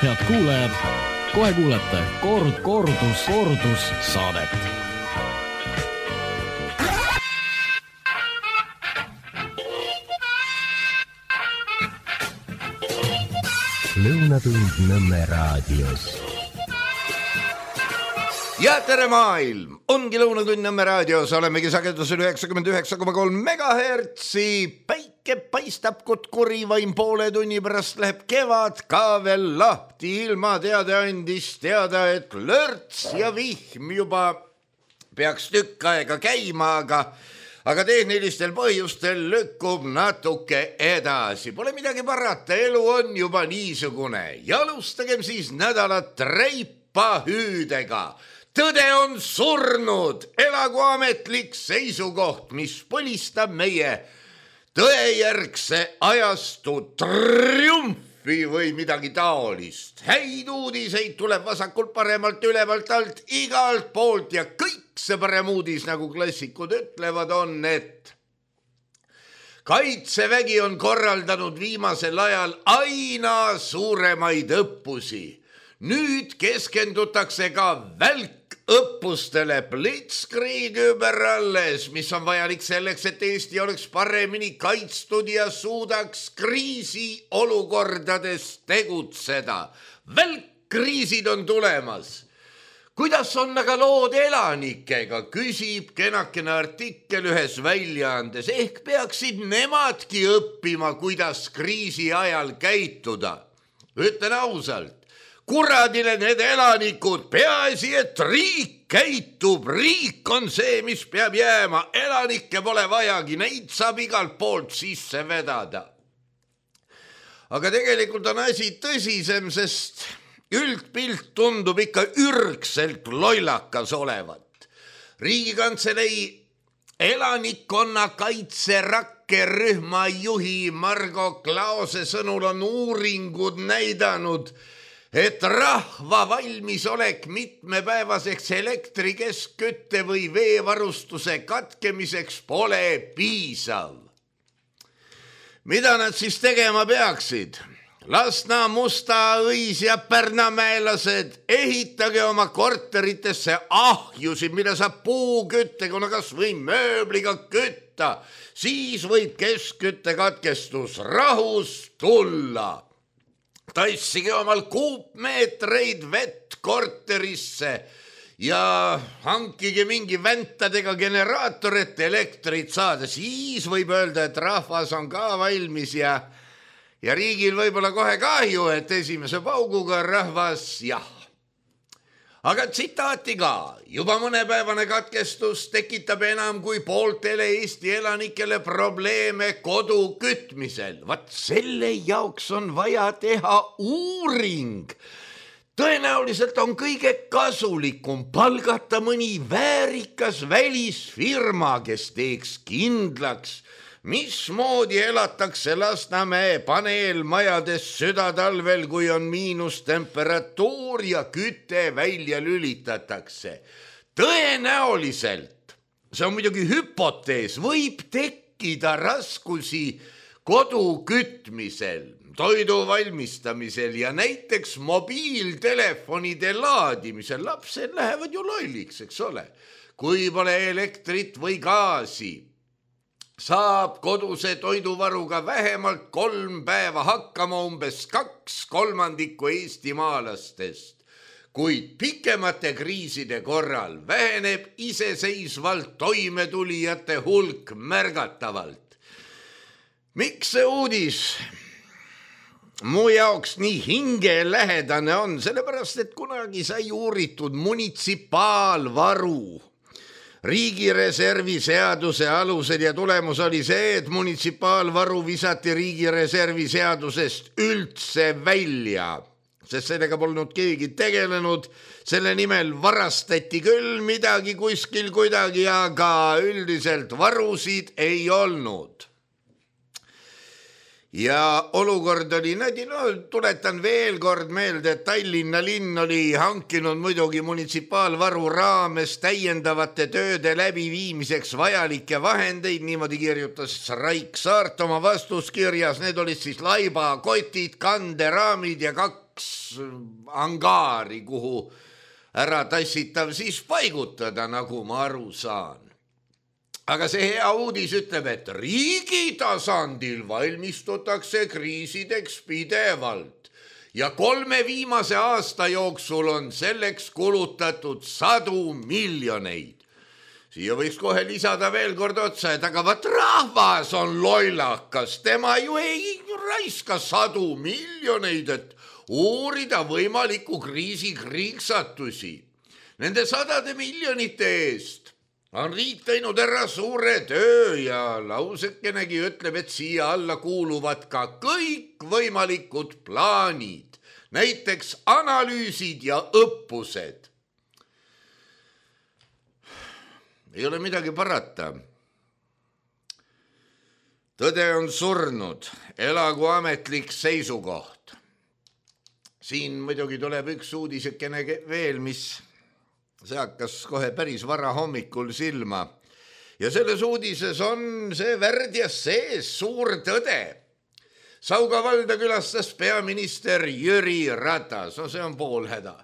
head kuulajad, kohe kuulete kordus saadet. Lõunatund Nõmme raadios. Ja tere maailm! Ongi Lõunatund Nõmme raadios, olemegi sagedusel 99,3 megahertsi. Päike paistab kutkuri, vaim poole tunni pärast läheb kevad ka veel lahti. Ilma teade andis teada, et lörts ja vihm juba peaks tükk aega käima, aga tehnilistel põhjustel lükkub natuke edasi. Pole midagi parata, elu on juba niisugune. Ja alustagem siis nädalat reipahüüdega. Tõde on surnud, elagu ametlik seisukoht, mis põlistab meie tõejärgse ajastu triumfi või midagi taolist. Häid uudiseid tuleb vasakult paremalt, ülevalt alt, igalt poolt ja kõik see parem uudis, nagu klassikud ütlevad, on, et Kaitsevägi on korraldanud viimasel ajal aina suuremaid õppusi. Nüüd keskendutakse ka välkõppustele Blitzkrieg überalles, mis on vajalik selleks, et Eesti oleks paremini kaitstud ja suudaks kriisiolukordades tegutseda. Välkkriisid on tulemas. Kuidas on aga lood elanikega, küsib kenakene artikkel ühes väljaandes. Ehk peaksid nemadki õppima, kuidas kriisi ajal käituda. Ütlen ausalt. Kuradile need elanikud, peaasi, et riik käitub, riik on see, mis peab jääma, elanikke pole vajagi, neid saab igalt poolt sisse vedada. Aga tegelikult on asi tõsisem, sest üldpilt tundub ikka ürgselt lollakas olevat. Riigikantselei elanikkonnakaitse rakkerühma juhi Margo Klaose sõnul on uuringud näidanud, et rahva valmisolek mitmepäevaseks elektri, keskkütte või veevarustuse katkemiseks pole piisav. Mida nad siis tegema peaksid? Lasna, Musta, Õis ja Pärnamäelased, ehitage oma korteritesse ahjusid, mida saab puuküttega, kas või mööbliga kütta. Siis võib keskküttekatkestus rahus tulla. Tassige omal kuupmeetreid vett korterisse ja hankige mingi väntadega generaator, et elektrit saada. Siis võib öelda, et rahvas on ka valmis ja riigil võib-olla kohe kahju, et esimese pauguga rahvas jah. Aga tsitaati ka. Juba mõnepäevane katkestus tekitab enam kui pooltele Eesti elanikele probleeme kodu kütmisel. Vat selle jaoks on vaja teha uuring. Tõenäoliselt on kõige kasulikum palgata mõni väärikas välisfirma, kes teeks kindlaks, mismoodi elatakse Lasnamäe paneelmajades südatalvel, kui on miinustemperatuur ja küte välja lülitatakse. Tõenäoliselt, see on muidugi hüpotees, võib tekkida raskusi kodu kütmisel, toidu valmistamisel ja näiteks mobiiltelefonide laadimisel. Lapsed lähevad ju lolliks, eks ole, kui pole elektrit või gaasi. Saab koduse toiduvaruga vähemalt 3 päeva hakkama umbes 2/3 eestimaalastest, kuid pikemate kriiside korral väheneb iseseisvalt toimetulijate hulk märgatavalt. Miks see uudis mu jaoks nii hingelähedane on? Sellepärast, et kunagi sai uuritud munitsipaalvaru riigireservi seaduse alusel ja tulemus oli see, et munitsipaalvaru visati riigireservi seadusest üldse välja, sest sellega polnud keegi tegelenud. Selle nimel varastati küll midagi kuskil kuidagi, aga üldiselt varusid ei olnud. Ja olukord oli tuletan veel kord meelde, et Tallinna linn oli hankinud muidugi munitsipaalvaru raames täiendavate tööde läbiviimiseks vajalikke vahendeid, niimoodi kirjutas Raik Saart oma vastuskirjas. Need olid siis laibakotid, kanderaamid ja 2 2 angaari, kuhu ära tassitav siis paigutada, nagu ma aru saan. Aga see hea uudis ütleb, et riigi tasandil valmistutakse kriisideks pidevalt ja 3 viimase aasta jooksul on selleks kulutatud 100 miljoneid. Siia võiks kohe lisada veel kord otsa, et aga vaat rahvas on lollakas, tema ju ei raiska 100 miljoneid, et uurida võimaliku kriisi kriiksatusi. Nende 100 miljonite eest on riik teinud ära suure töö ja lausekenegi ütleb, et siia alla kuuluvad ka kõik võimalikud plaanid, näiteks analüüsid ja õppused. Ei ole midagi parata. Tõde on surnud, elagu ametlik seisukoht. Siin muidugi tuleb üks uudisekene veel, mis see hakkas kohe päris vara hommikul silma. Ja selles uudises on see värdjas sees suur tõde. Sauga valda külastas peaminister Jüri Ratas, no see on pool häda.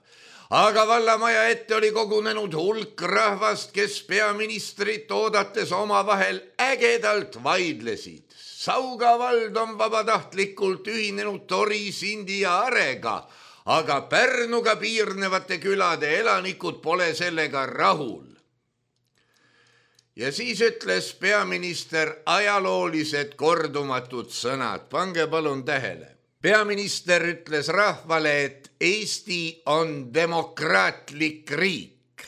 Aga vallamaja ette oli kogunenud hulk rahvast, kes peaministrit oodates omavahel ägedalt vaidlesid. Sauga vald on vabatahtlikult ühinenud Tori, Sindi ja Arega, aga Pärnuga piirnevate külade elanikud pole sellega rahul. Ja siis ütles peaminister ajaloolised kordumatud sõnad. Pange palun tähele. Peaminister ütles rahvale, et Eesti on demokraatlik riik.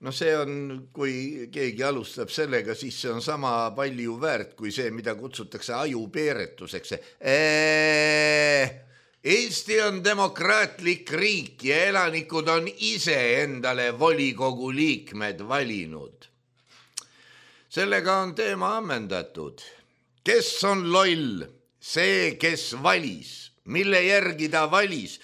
No see on, kui keegi alustab sellega, siis see on sama palju väärt kui see, mida kutsutakse ajupeeretuseks. Eesti on demokraatlik riik ja elanikud on ise endale volikogu liikmed valinud. Sellega on teema ammendatud. Kes on loll? See, kes valis. Mille järgi ta valis?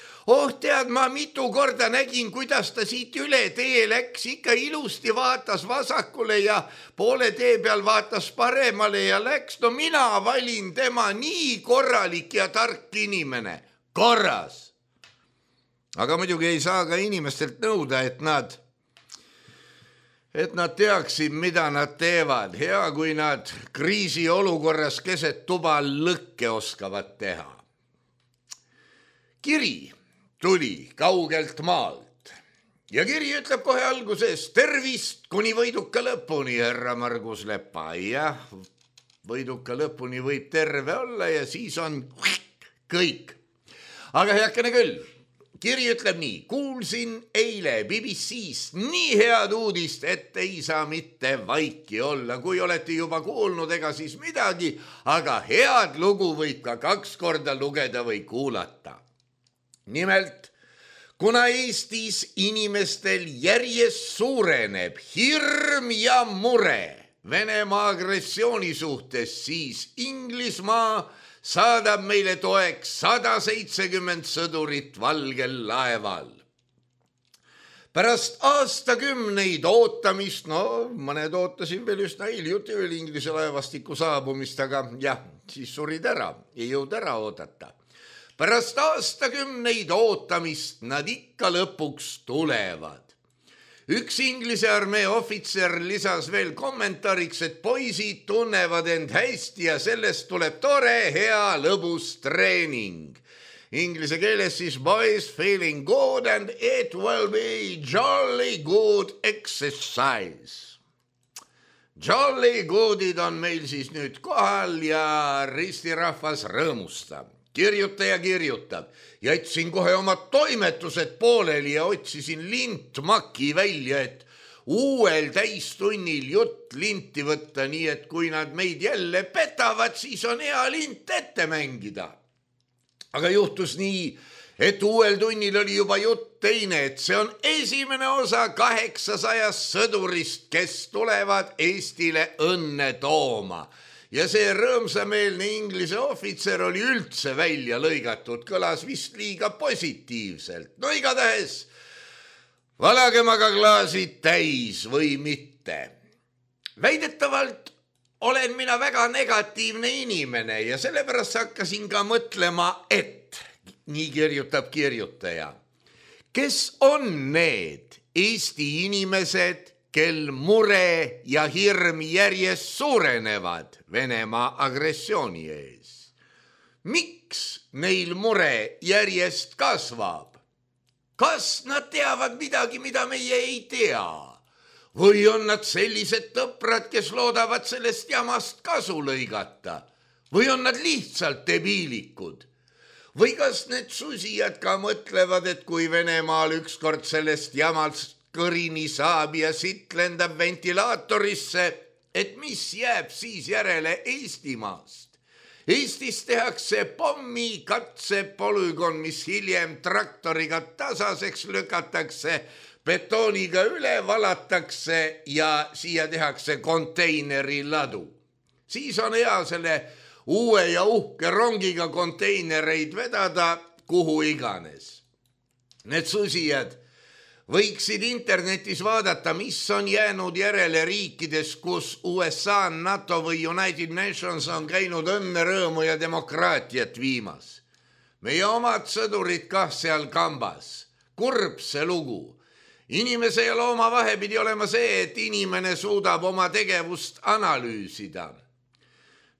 Tead, ma mitu korda nägin, kuidas ta siit üle tee läks, ikka ilusti vaatas vasakule ja poole tee peal vaatas paremale ja läks. No mina valin tema, nii korralik ja tark inimene. Korras. Aga muidugi ei saa ka inimestelt nõuda, et nad teaksid, mida nad teevad. Hea, kui nad kriisiolukorras keset tuba lõkke oskavad teha. Kiri tuli kaugelt maalt ja kiri ütleb kohe alguses tervist kuni võiduka lõpuni, härra Margus Lepa. Jah, võiduka lõpuni võib terve olla ja siis on kõik. Aga heakene küll, kiri ütleb nii. Kuulsin eile BBC-st nii head uudist, et ei saa mitte vaiki olla. Kui olete juba kuulnud, ega siis midagi, aga head lugu võib ka 2 korda lugeda või kuulata. Nimelt, kuna Eestis inimestel järjest suureneb hirm ja mure Venemaa agressiooni suhtes, siis Inglismaa saadab meile toeks 170 sõdurit valgel laeval. Pärast aastakümneid ootamist, mõned ootasin veel üsna hiljuti Inglise laevastiku saabumist, aga jah, siis surid ära, ei jõud ära oodata. Pärast aastakümneid ootamist nad ikka lõpuks tulevad. Üks Inglise armee ohvitser lisas veel kommentaariks, et poisid tunnevad end hästi ja sellest tuleb tore, hea, lõbus treening. Inglise keeles siis boys feeling good and it will be jolly good exercise. Jolly goodid on meil siis nüüd kohal ja ristirahvas rõõmustab. Kirjutaja kirjutab. Jätsin kohe oma toimetused pooleli ja otsisin lintmaki välja, et uuel täistunnil jutt linti võtta, nii et kui nad meid jälle petavad, siis on hea lint ette mängida. Aga juhtus nii, et uuel tunnil oli juba jutt teine, et see on esimene osa 800 sõdurist, kes tulevad Eestile õnne tooma. Ja see rõõmsameelne Inglise ohvitser oli üldse välja lõigatud, kõlas vist liiga positiivselt. No igatahes, valagem aga klaasid täis või mitte. Väidetavalt olen mina väga negatiivne inimene ja sellepärast hakkasin ka mõtlema, et nii kirjutab kirjutaja. Kes on need Eesti inimesed, kel mure ja hirm järjest suurenevad Venemaa agressiooni ees? Miks neil mure järjest kasvab? Kas nad teavad midagi, mida meie ei tea? Või on nad sellised tõprad, kes loodavad sellest jamast kasu lõigata? Või on nad lihtsalt debiilikud? Või kas need susijad ka mõtlevad, et kui Venemaal ükskord sellest jamast kõrini saab ja sitt lendab ventilaatorisse, et mis jääb siis järele Eestimaast? Eestis tehakse pommi katsepolügon, mis hiljem traktoriga tasaseks lükatakse, betooniga üle valatakse ja siia tehakse konteineri ladu. Siis on hea selle uue ja uhke rongiga konteinereid vedada kuhu iganes. Need susijad võiksid internetis vaadata, mis on jäänud järele riikides, kus USA, NATO või United Nations on käinud õnne, rõõmu ja demokraatiat viimas. Meie omad sõdurid kah seal kambas. Kurb see lugu. Inimese ja looma vahe pidi olema see, et inimene suudab oma tegevust analüüsida.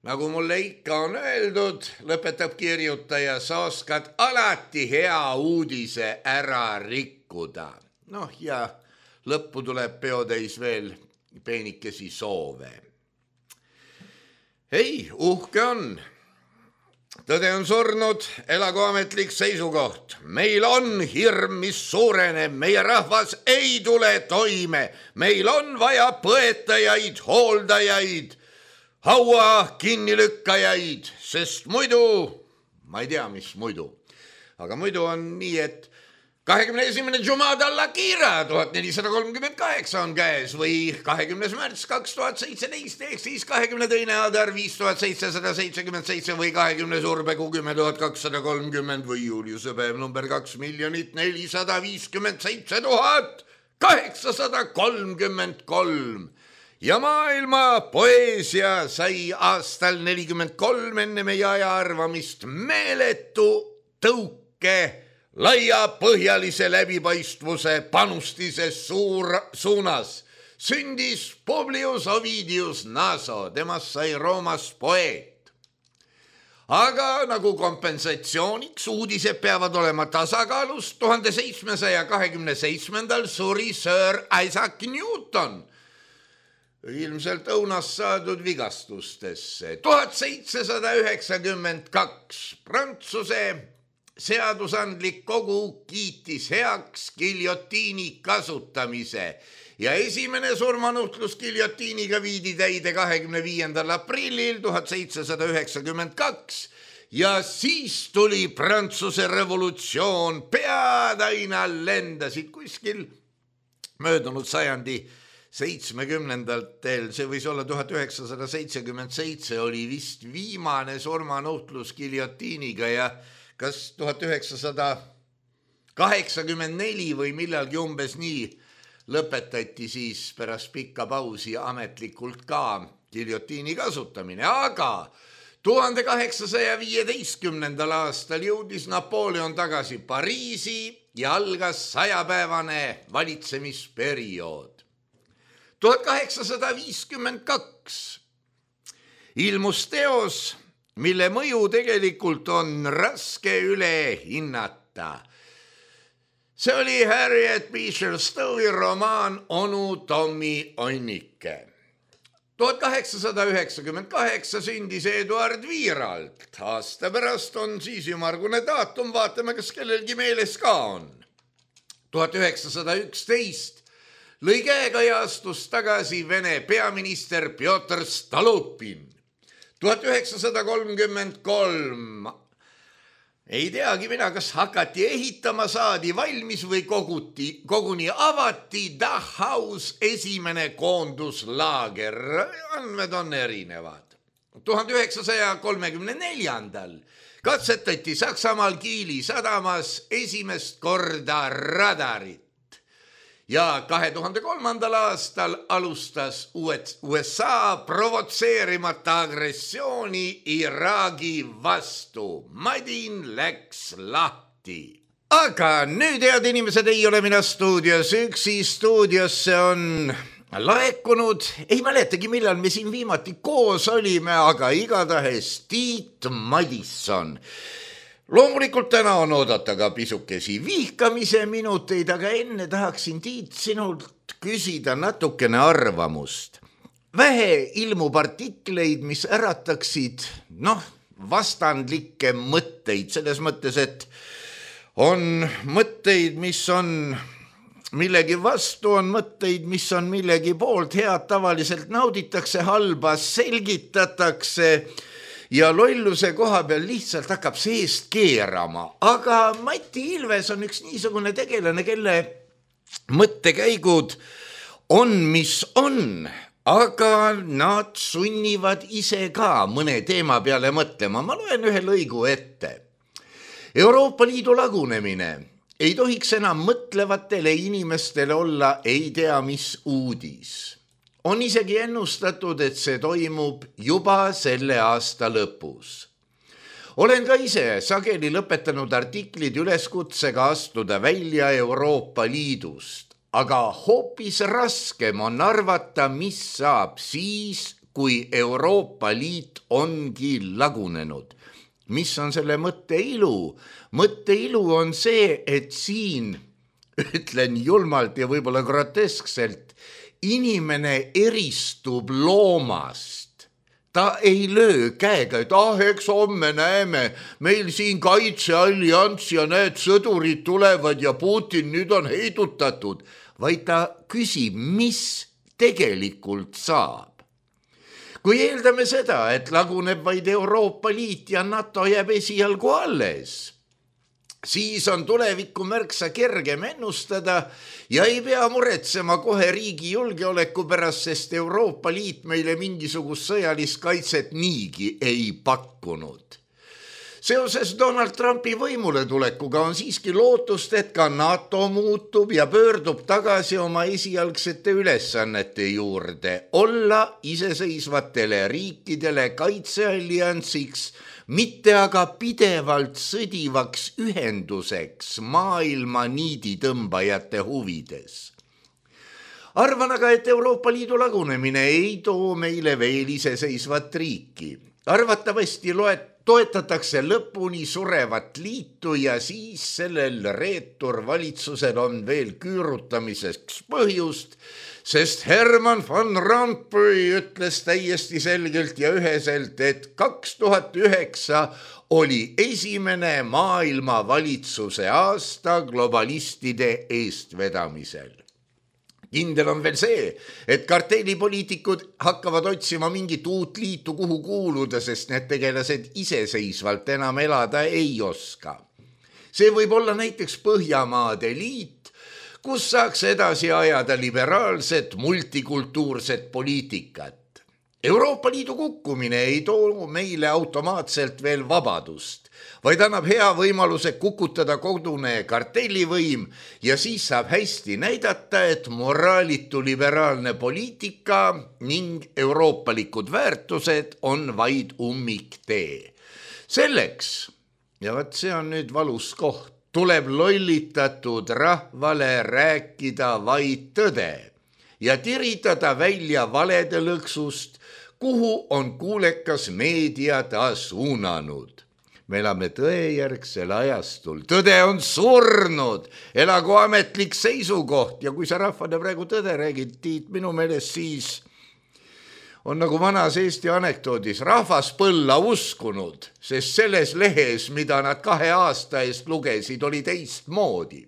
Nagu mulle ikka on öeldud, lõpetab kirjutaja, sa oskad alati hea uudise ära rikkuda. Noh ja lõppu tuleb peotäis veel peenikesi soove. Ei, uhke on. Tõde on surnud, elagu ametlik seisukoht. Meil on hirm, mis suureneb, meie rahvas ei tule toime. Meil on vaja põetajaid, hooldajaid, haua kinnilükkajaid, sest muidu, ma ei tea, mis muidu, aga muidu on nii, et 21. Jumada al-Akhira 1438 on käes või 20. märts 2017 ehk siis 22. Adar 5777 või 20. Urbekuu 10.230 või Juliuse päev number 2 457 833. Ja maailma poeesia sai aastal 43 enne meie aja arvamist meeletu tõuke laiapõhjalise läbipaistvuse panustise suunas. Sündis Publius Ovidius Naso, temast sai Roomas poeet. Aga nagu kompensatsiooniks uudised peavad olema tasakaalus, 1727. suri Sir Isaac Newton, ilmselt õunast saadud vigastustesse. 1792 Prantsuse seadusandlik kogu kiitis heaks giljotiini kasutamise ja esimene surmanuhtlus giljotiiniga viidi täide 25. aprillil 1792 ja siis tuli Prantsuse revolutsioon, pead aina lendasid kuskil möödunud sajandi 70-ndatel, see võis olla 1977, oli vist viimane surmanuhtlus giljotiiniga ja kas 1984 või millalgi umbes nii lõpetati siis pärast pikka pausi ametlikult ka giljotiini kasutamine, aga 1815. aastal jõudis Napoleon tagasi Pariisi ja algas 100-päevane valitsemisperiood. 1852 ilmus teos, mille mõju tegelikult on raske üle hinnata. See oli Harriet Beecher Stowe'i romaan Onu Tommi Onnike. 1898 sündis Eduard Viiralt. Aasta pärast on siis ümmargune daatum, vaatame, kas kellelgi meeles ka on. 1911 lõi käega ja astus tagasi Vene peaminister Pjotr Stalupin. 1933 ei teagi mina, kas hakati ehitama, saadi valmis või koguni avati Dachau's esimene koonduslaager. Andmed on erinevad. 1934 katsetati Saksamaal Kiili sadamas esimest korda radarit. ja 2003. aastal alustas USA provotseerimata agressiooni Iraagi vastu. Madin läks lahti. Aga nüüd, head inimesed, ei ole mina stuudios üksi. Stuudiosse on laekunud, ei mäletagi, millal me siin viimati koos olime, aga igatahes Tiit Madisson. Loomulikult täna on oodata ka pisukesi vihkamise minuteid, aga enne tahaksin, Tiit, sinult küsida natukene arvamust. Vähe ilmub artikleid, mis ärataksid, vastandlikke mõtteid, selles mõttes, et on mõtteid, mis on millegi vastu, on mõtteid, mis on millegi poolt, head tavaliselt nauditakse, halba selgitatakse ja lolluse koha peal lihtsalt hakkab seest keerama. Aga Mati Ilves on üks niisugune tegelane, kelle mõttekäigud on, mis on, aga nad sunnivad ise ka mõne teema peale mõtlema. Ma loen ühe lõigu ette. Euroopa Liidu lagunemine ei tohiks enam mõtlevatele inimestele olla ei tea mis uudis. On isegi ennustatud, et see toimub juba selle aasta lõpus. Olen ka ise sageli lõpetanud artiklid üleskutsega astuda välja Euroopa Liidust, aga hoopis raskem on arvata, mis saab siis, kui Euroopa Liit ongi lagunenud. Mis on selle mõtte ilu? Mõtte ilu on see, et siin, ütlen julmalt ja võib-olla groteskselt, inimene eristub loomast. Ta ei löö käega, et eks homme näeme, meil siin kaitseallians ja need sõdurid tulevad ja Putin nüüd on heidutatud, vaid ta küsib, mis tegelikult saab. Kui eeldame seda, et laguneb vaid Euroopa Liit ja NATO jääb esialgu alles, siis on tulevikku märksa kergem ennustada ja ei pea muretsema kohe riigi julgeoleku pärast, sest Euroopa Liit meile mingisugust sõjalist kaitset niigi ei pakkunud. Seoses Donald Trumpi võimule tulekuga on siiski lootust, et ka NATO muutub ja pöördub tagasi oma esialgsete ülesannete juurde, olla iseseisvatele riikidele kaitsealliansiks, mitte aga pidevalt sõdivaks ühenduseks maailma niiditõmbajate huvides. Arvan aga, et Euroopa Liidu lagunemine ei too meile veel iseseisvat riiki. Arvatavasti toetatakse lõpuni surevat liitu ja siis sellel reeturvalitsusel on veel küürutamiseks põhjust, sest Herman van Rompuy ütles täiesti selgelt ja üheselt, et 2009 oli esimene maailma valitsuse aasta globalistide eestvedamisel. Kindel on veel see, et kartellipoliitikud hakkavad otsima mingit uut liitu, kuhu kuuluda, sest need tegelased iseseisvalt enam elada ei oska. See võib olla näiteks Põhjamaade liit, kus saaks edasi ajada liberaalset multikultuurset poliitikat. Euroopa Liidu kukkumine ei too meile automaatselt veel vabadust, vaid annab hea võimaluse kukutada kodune kartellivõim ja siis saab hästi näidata, et moraalitu liberaalne poliitika ning euroopalikud väärtused on vaid ummiktee. Selleks, ja vaat see on nüüd valus koht, tuleb lollitatud rahvale rääkida vaid tõde ja tiritada välja valede lõksust, kuhu on kuulekas meedia ta suunanud. Me elame tõejärgsel ajastul. Tõde on surnud, elagu ametlik seisukoht ja kui sa rahvale praegu tõde räägid, Tiit, minu meelest siis on nagu vanas Eesti anekdoodis rahvas põlla uskunud, sest selles lehes, mida nad 2 aasta eest lugesid, oli teistmoodi.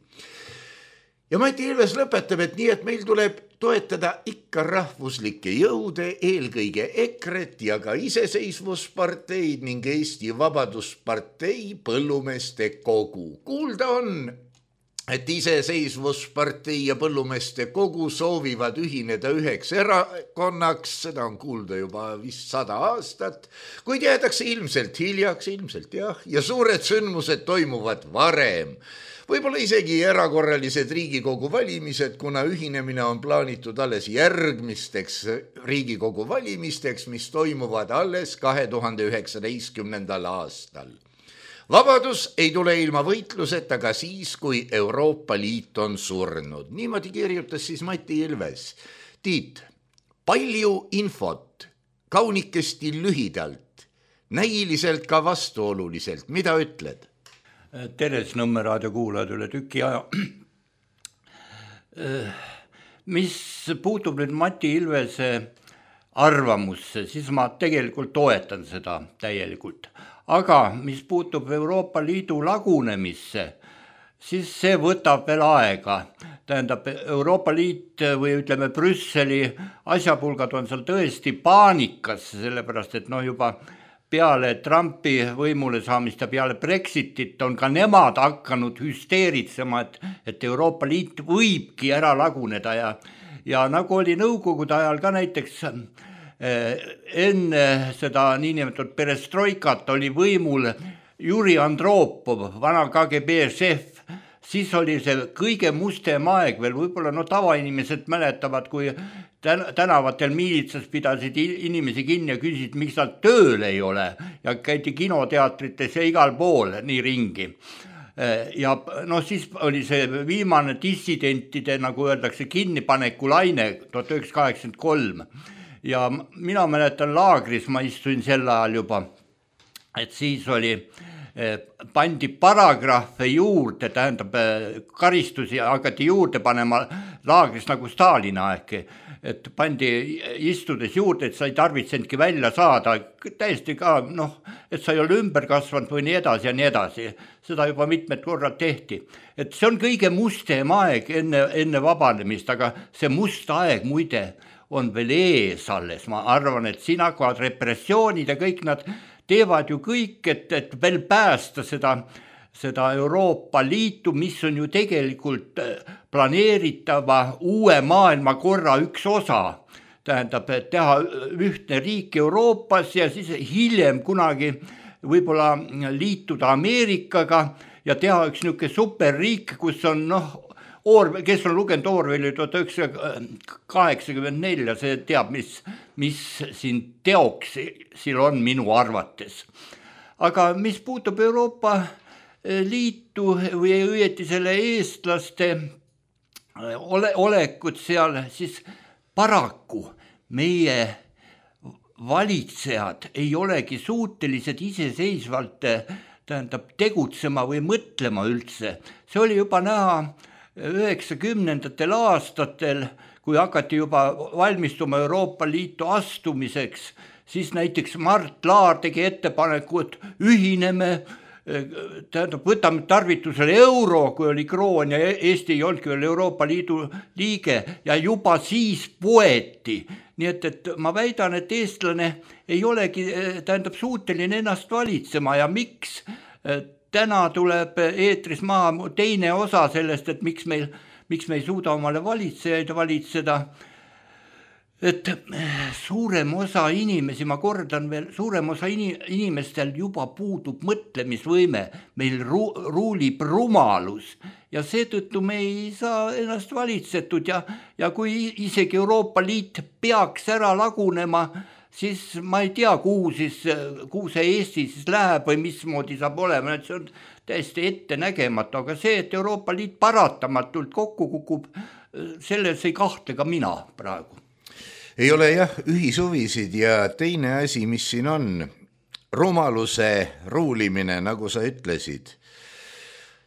Ja Mati Ilves lõpetab, et nii, et meil tuleb toetada ikka rahvuslikke jõude, eelkõige EKRE-t ja ka iseseisvusparteid ning Eesti Vabaduspartei põllumeeste kogu. Kuulda on, et iseseisvuspartei ja põllumeeste kogu soovivad ühineda üheks erakonnaks, seda on kuulda juba vist 100 aastat, kuid jäädakse ilmselt hiljaks, ilmselt jah, ja suured sündmused toimuvad varem. Võib-olla isegi erakorralised Riigikogu valimised, kuna ühinemine on plaanitud alles järgmisteks Riigikogu valimisteks, mis toimuvad alles 2019. aastal. Vabadus ei tule ilma võitluseta ka siis, kui Euroopa Liit on surnud. Niimoodi kirjutas siis Mati Ilves. Tiit, palju infot, kaunikesti lühidalt, näiliselt ka vastuoluliselt. Mida ütled? Teres Nõmme raadio kuulajad üle tüki aja. Mis puutub nüüd Mati Ilvese arvamusse, siis ma tegelikult toetan seda täielikult. Aga mis puutub Euroopa Liidu lagunemisse, siis see võtab veel aega. Tähendab, Euroopa Liit või ütleme Brüsseli asjapulgad on seal tõesti paanikas, sellepärast et juba peale Trumpi võimule saamist ja peale Brexitit on ka nemad hakanud hüsteeritsema, et Euroopa Liit võibki ära laguneda ja nagu oli nõukogude ajal ka näiteks enne seda niinimetatud perestroikat oli võimul Juri Andropov, vana KGB šef, siis oli see kõige mustem aeg veel, võib-olla tavainimesed mäletavad, kui tänavatel miilitsas pidasid inimesi kinni ja küsisid, miks nad tööl ei ole ja käidi kinoteatrites ja igal pool nii ringi. Ja siis oli see viimane dissidentide, nagu öeldakse, kinnipaneku laine 1983 ja mina mäletan laagris, ma istuin sel ajal juba, et siis oli pandi paragrahve juurde, tähendab karistusi hakati juurde panema laagris nagu Stalini aeg, et pandi istudes juurde, et sa ei tarvitsenudki välja saada, täiesti ka, et sa ei ole ümber kasvanud või nii edasi ja nii edasi. Seda juba mitmed korrad tehti. Et see on kõige mustem aeg enne vabanemist, aga see must aeg muide on veel ees alles. Ma arvan, et siin hakkavad repressioonid ja kõik nad teevad ju kõik, et veel päästa seda Euroopa Liitu, mis on ju tegelikult planeeritava uue maailmakorra üks osa. Tähendab, et teha ühtne riik Euroopas ja siis hiljem kunagi võib-olla liituda Ameerikaga ja teha üks niisugune superriik, kus on kes on lugenud Orwelli 1984, see teab, mis siin teoksil on minu arvates. Aga mis puutub Euroopa Liitu või õieti selle eestlaste olekut seal, siis paraku meie valitsejad ei olegi suutelised iseseisvalt tegutsema või mõtlema üldse. See oli juba näha 90. aastatel, kui hakati juba valmistuma Euroopa Liitu astumiseks, siis näiteks Mart Laar tegi ettepaneku, et ühineme, võtame tarvitusele euro, kui oli kroon ja Eesti ei olnudki veel Euroopa Liidu liige ja juba siis poeti. Nii et ma väidan, et eestlane ei olegi suuteline ennast valitsema ja miks täna tuleb eetris maha teine osa sellest, et miks me ei suuda omale valitsejaid valitseda. Et suurem osa inimesi, ma kordan veel, suurem osa inimestel juba puudub mõtlemisvõime, meil ruulib rumalus ja seetõttu me ei saa ennast valitsetud ja kui isegi Euroopa Liit peaks ära lagunema, siis ma ei tea, kuhu see Eesti siis läheb või mismoodi saab olema, et see on täiesti ette nägematu, aga see, et Euroopa Liit paratamatult kokku kukub, selles ei kahtle ka mina praegu. Ei ole jah ühishuvisid ja teine asi, mis siin on, rumaluse ruulimine, nagu sa ütlesid,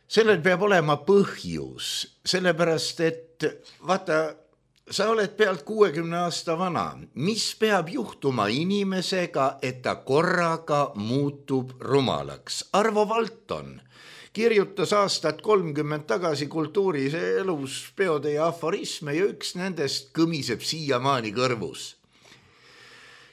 sellel peab olema põhjus, sellepärast et vaata, sa oled pealt 60 aasta vana. Mis peab juhtuma inimesega, et ta korraga muutub rumalaks? Arvo Valton kirjutas aastat 30 tagasi kultuuris elus peode ja aforisme ja üks nendest kõmiseb siiamaani kõrvus.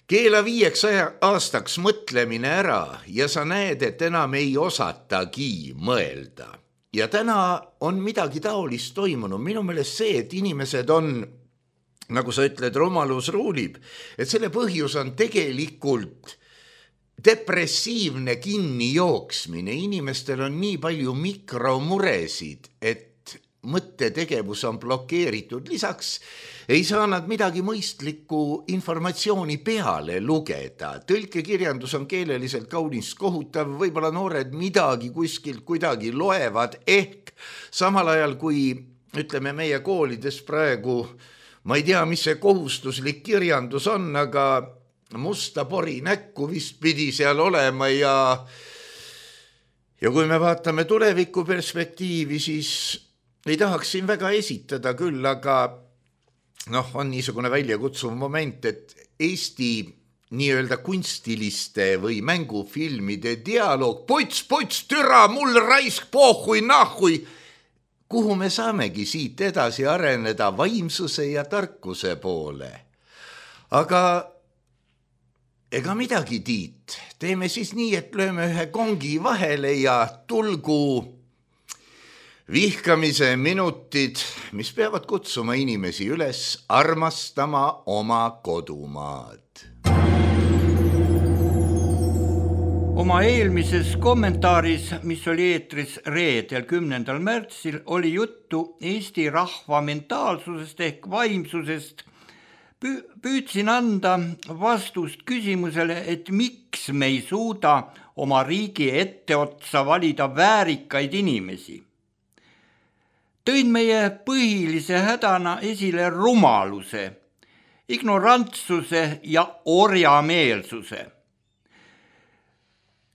Keela 5 aastaks mõtlemine ära ja sa näed, et enam ei osatagi mõelda. ja täna on midagi taolist toimunud. Minu meelest see, et inimesed on, nagu sa ütled, rumalus ruulib, et selle põhjus on tegelikult depressiivne kinnijooksmine. Inimestel on nii palju mikromuresid, et mõttetegevus on blokeeritud. Lisaks ei saa nad midagi mõistlikku informatsiooni peale lugeda. Tõlkekirjandus on keeleliselt kaunis kohutav, võib-olla noored midagi kuskilt kuidagi loevad, ehk samal ajal kui ütleme meie koolides praegu, ma ei tea, mis see kohustuslik kirjandus on, aga musta pori näkku vist pidi seal olema ja kui me vaatame tuleviku perspektiivi, siis ei tahaks siin väga esitada küll, aga on niisugune väljakutsuv moment, et Eesti nii-öelda kunstiliste või mängufilmide dialoog, pots, türa, mul raisk, pohhui, nahhui, kuhu me saamegi siit edasi areneda vaimsuse ja tarkuse poole. Aga ega midagi, Tiit, teeme siis nii, et lööme ühe kongi vahele ja tulgu vihkamise minutid, mis peavad kutsuma inimesi üles armastama oma kodumaad. Oma eelmises kommentaaris, mis oli eetris reedel 10. märtsil, oli juttu Eesti rahva mentaalsusest ehk vaimsusest. Püüdsin anda vastust küsimusele, et miks me ei suuda oma riigi etteotsa valida väärikaid inimesi. Tõin meie põhilise hädana esile rumaluse, ignorantsuse ja orjameelsuse.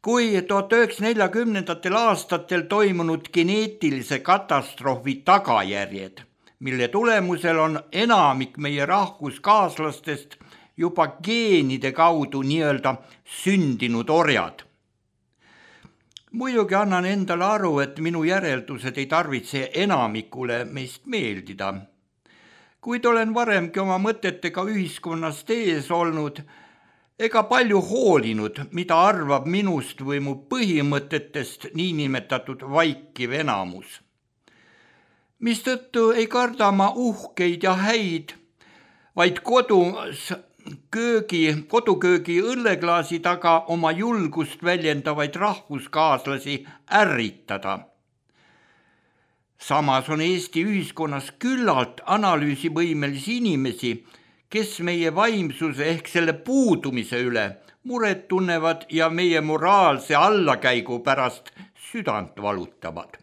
Kui 1940. aastatel toimunud geneetilise katastroofi tagajärjed, mille tulemusel on enamik meie rahvuskaaslastest juba geenide kaudu nii-öelda sündinud orjad. Muidugi annan endale aru, et minu järeldused ei tarvitse enamikule meist meeldida. Kuid olen varemgi oma mõtetega ühiskonnast ees olnud ega palju hoolinud, mida arvab minust või mu põhimõtetest niinimetatud vaikiv enamus. Mistõttu ei karda ma uhkeid ja häid, vaid koduköögi õlleklaasi taga oma julgust väljendavaid rahvuskaaslasi ärritada. Samas on Eesti ühiskonnas küllalt analüüsivõimelisi inimesi, kes meie vaimsuse ehk selle puudumise üle muret tunnevad ja meie moraalse allakäigu pärast südant valutavad.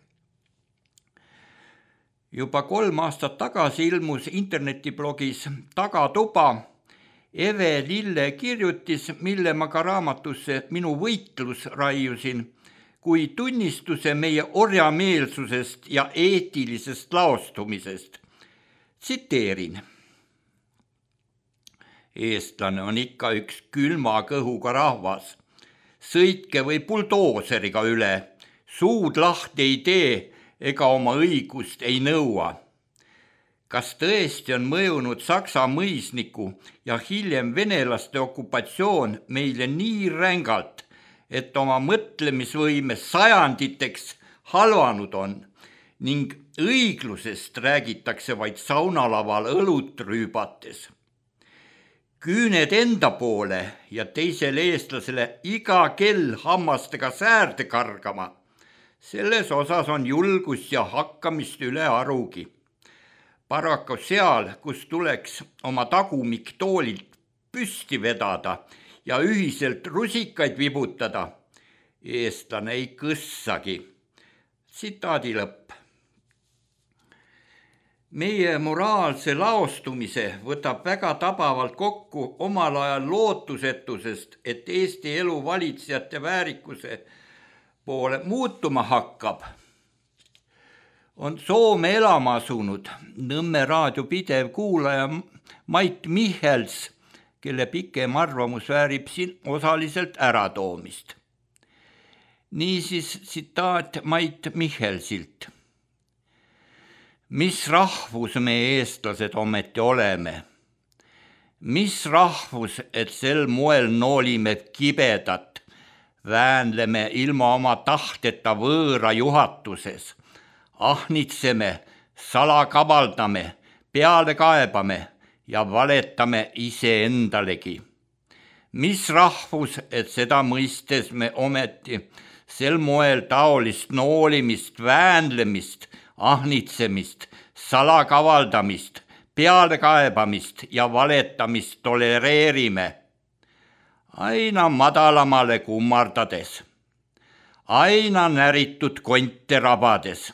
Juba 3 aastat tagasi ilmus internetiblogis Tagatuba Eve Lille kirjutis, mille ma ka raamatusse Minu võitlus raiusin, kui tunnistuse meie orjameelsusest ja eetilisest laostumisest. Tsiteerin. Eestlane on ikka üks külma kõhuga rahvas. Sõitke või buldooseriga üle, suud lahti ei tee ega oma õigust ei nõua. Kas tõesti on mõjunud Saksa mõisniku ja hiljem venelaste okupatsioon meile nii rängalt, et oma mõtlemisvõime sajanditeks halvanud on ning õiglusest räägitakse vaid saunalaval õlut rüübates. Küüned enda poole ja teisele eestlasele iga kell hammastega säärde kargama. Selles osas on julgus ja hakkamist üle arugi. Paraku seal, kus tuleks oma tagumik toolilt püsti vedada ja ühiselt rusikaid vibutada, eestlane ei kõssagi. Tsitaadi lõpp. Meie moraalse laostumise võtab väga tabavalt kokku omal ajal lootusetusest, et Eesti elu valitsejate väärikuse poole muutuma hakkab. On Soome elama asunud Nõmme raadio pidev kuulaja Mait Michels, kelle pikem arvamus väärib siin osaliselt äratoomist. Niisiis tsitaat Mait Michelsilt. Mis rahvus me eestlased ometi oleme? Mis rahvus, et sel moel noolime kibedat, väänleme ilma oma tahteta võõra juhatuses, ahnitseme, salakavaldame, peale kaebame ja valetame iseendalegi. Mis rahvus, et seda mõistes me ometi sel moel taolist noolimist, väänlemist, ahnitsemist, salakavaldamist, pealekaebamist ja valetamist tolereerime, aina madalamale kummardades, aina näritud konte rabades.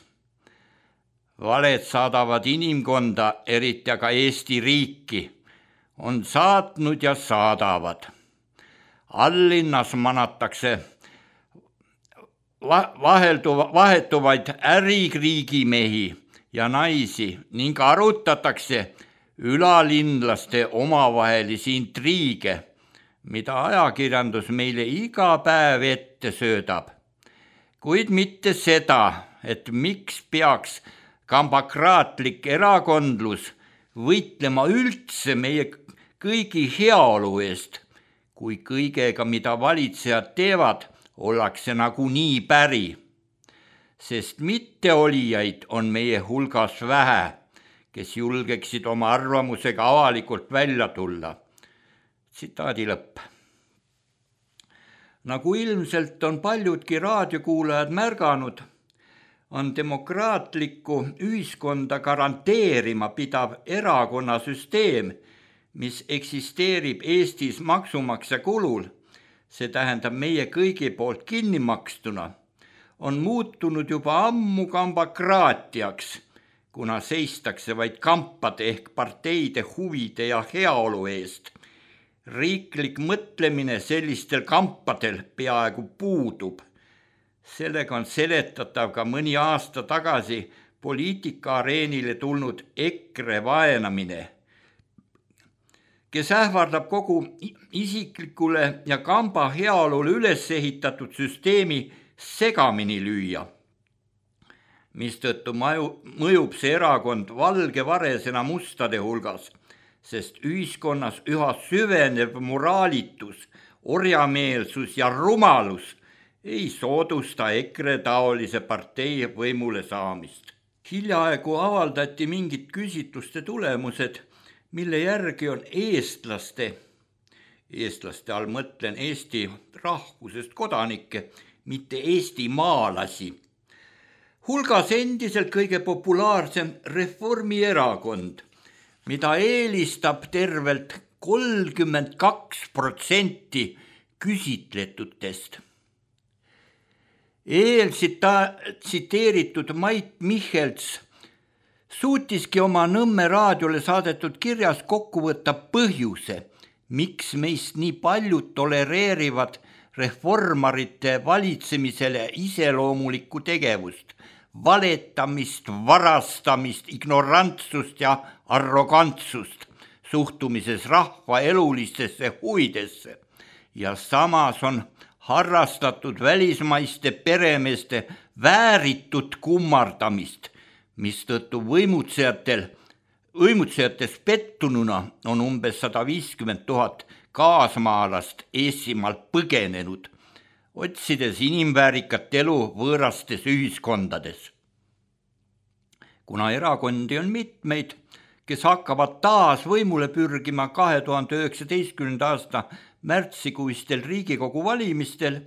Valed saadavad inimkonda, eriti aga Eesti riiki, on saatnud ja saadavad. Allinnas manatakse vahetuvaid ärikriigimehi ja naisi ning arutatakse ülalinlaste omavahelisi intriige, mida ajakirjandus meile iga päev ette söödab. Kuid mitte seda, et miks peaks kambokraatlik erakondlus võitlema üldse meie kõigi heaolu eest, kui kõigega, mida valitsejad teevad, ollakse nagunii päri, sest mitteolijaid on meie hulgas vähe, kes julgeksid oma arvamusega avalikult välja tulla. Tsitaadi lõpp. Nagu ilmselt on paljudki raadiokuulajad märganud, on demokraatlikku ühiskonda garanteerima pidav erakonnasüsteem, mis eksisteerib Eestis maksumaksja kulul, see tähendab meie kõigi poolt kinni makstuna, on muutunud juba ammu kambokraatiaks, kuna seistakse vaid kampade ehk parteide huvide ja heaolu eest. Riiklik mõtlemine sellistel kampadel peaaegu puudub. Sellega on seletatav ka mõni aasta tagasi poliitikaareenile tulnud EKRE vaenamine, kes ähvardab kogu isiklikule ja kamba heaolule üles ehitatud süsteemi segamini lüüa, mistõttu mõjub see erakond valge varesena mustade hulgas, sest ühiskonnas üha süvenev moraalitus, orjameelsus ja rumalus ei soodusta EKRE taolise partei võimule saamist. Hiljaaegu avaldati mingid küsitluste tulemused, mille järgi on eestlaste all mõtlen Eesti rahvusest kodanikke, mitte eestimaalasi, hulgas endiselt kõige populaarsem Reformierakond, mida eelistab tervelt 32% küsitletutest. Tsiteeritud Mait Michelts suutiski oma Nõmme raadiole saadetud kirjas kokku võtta põhjuse, miks meist nii paljud tolereerivad reformarite valitsemisele iseloomulikku tegevust, valetamist, varastamist, ignorantsust ja arrogantsust suhtumises rahva elulistesse huvidesse ja samas on harrastatud välismaiste peremeeste vääritud kummardamist, mistõttu võimutsejates pettununa on umbes 150 000 kaasmaalast Eestimaalt põgenenud, otsides inimväärikat elu võõrastes ühiskondades. Kuna erakondi on mitmeid, kes hakkavad taas võimule pürgima 2019. aasta märtsikuistel Riigikogu valimistel,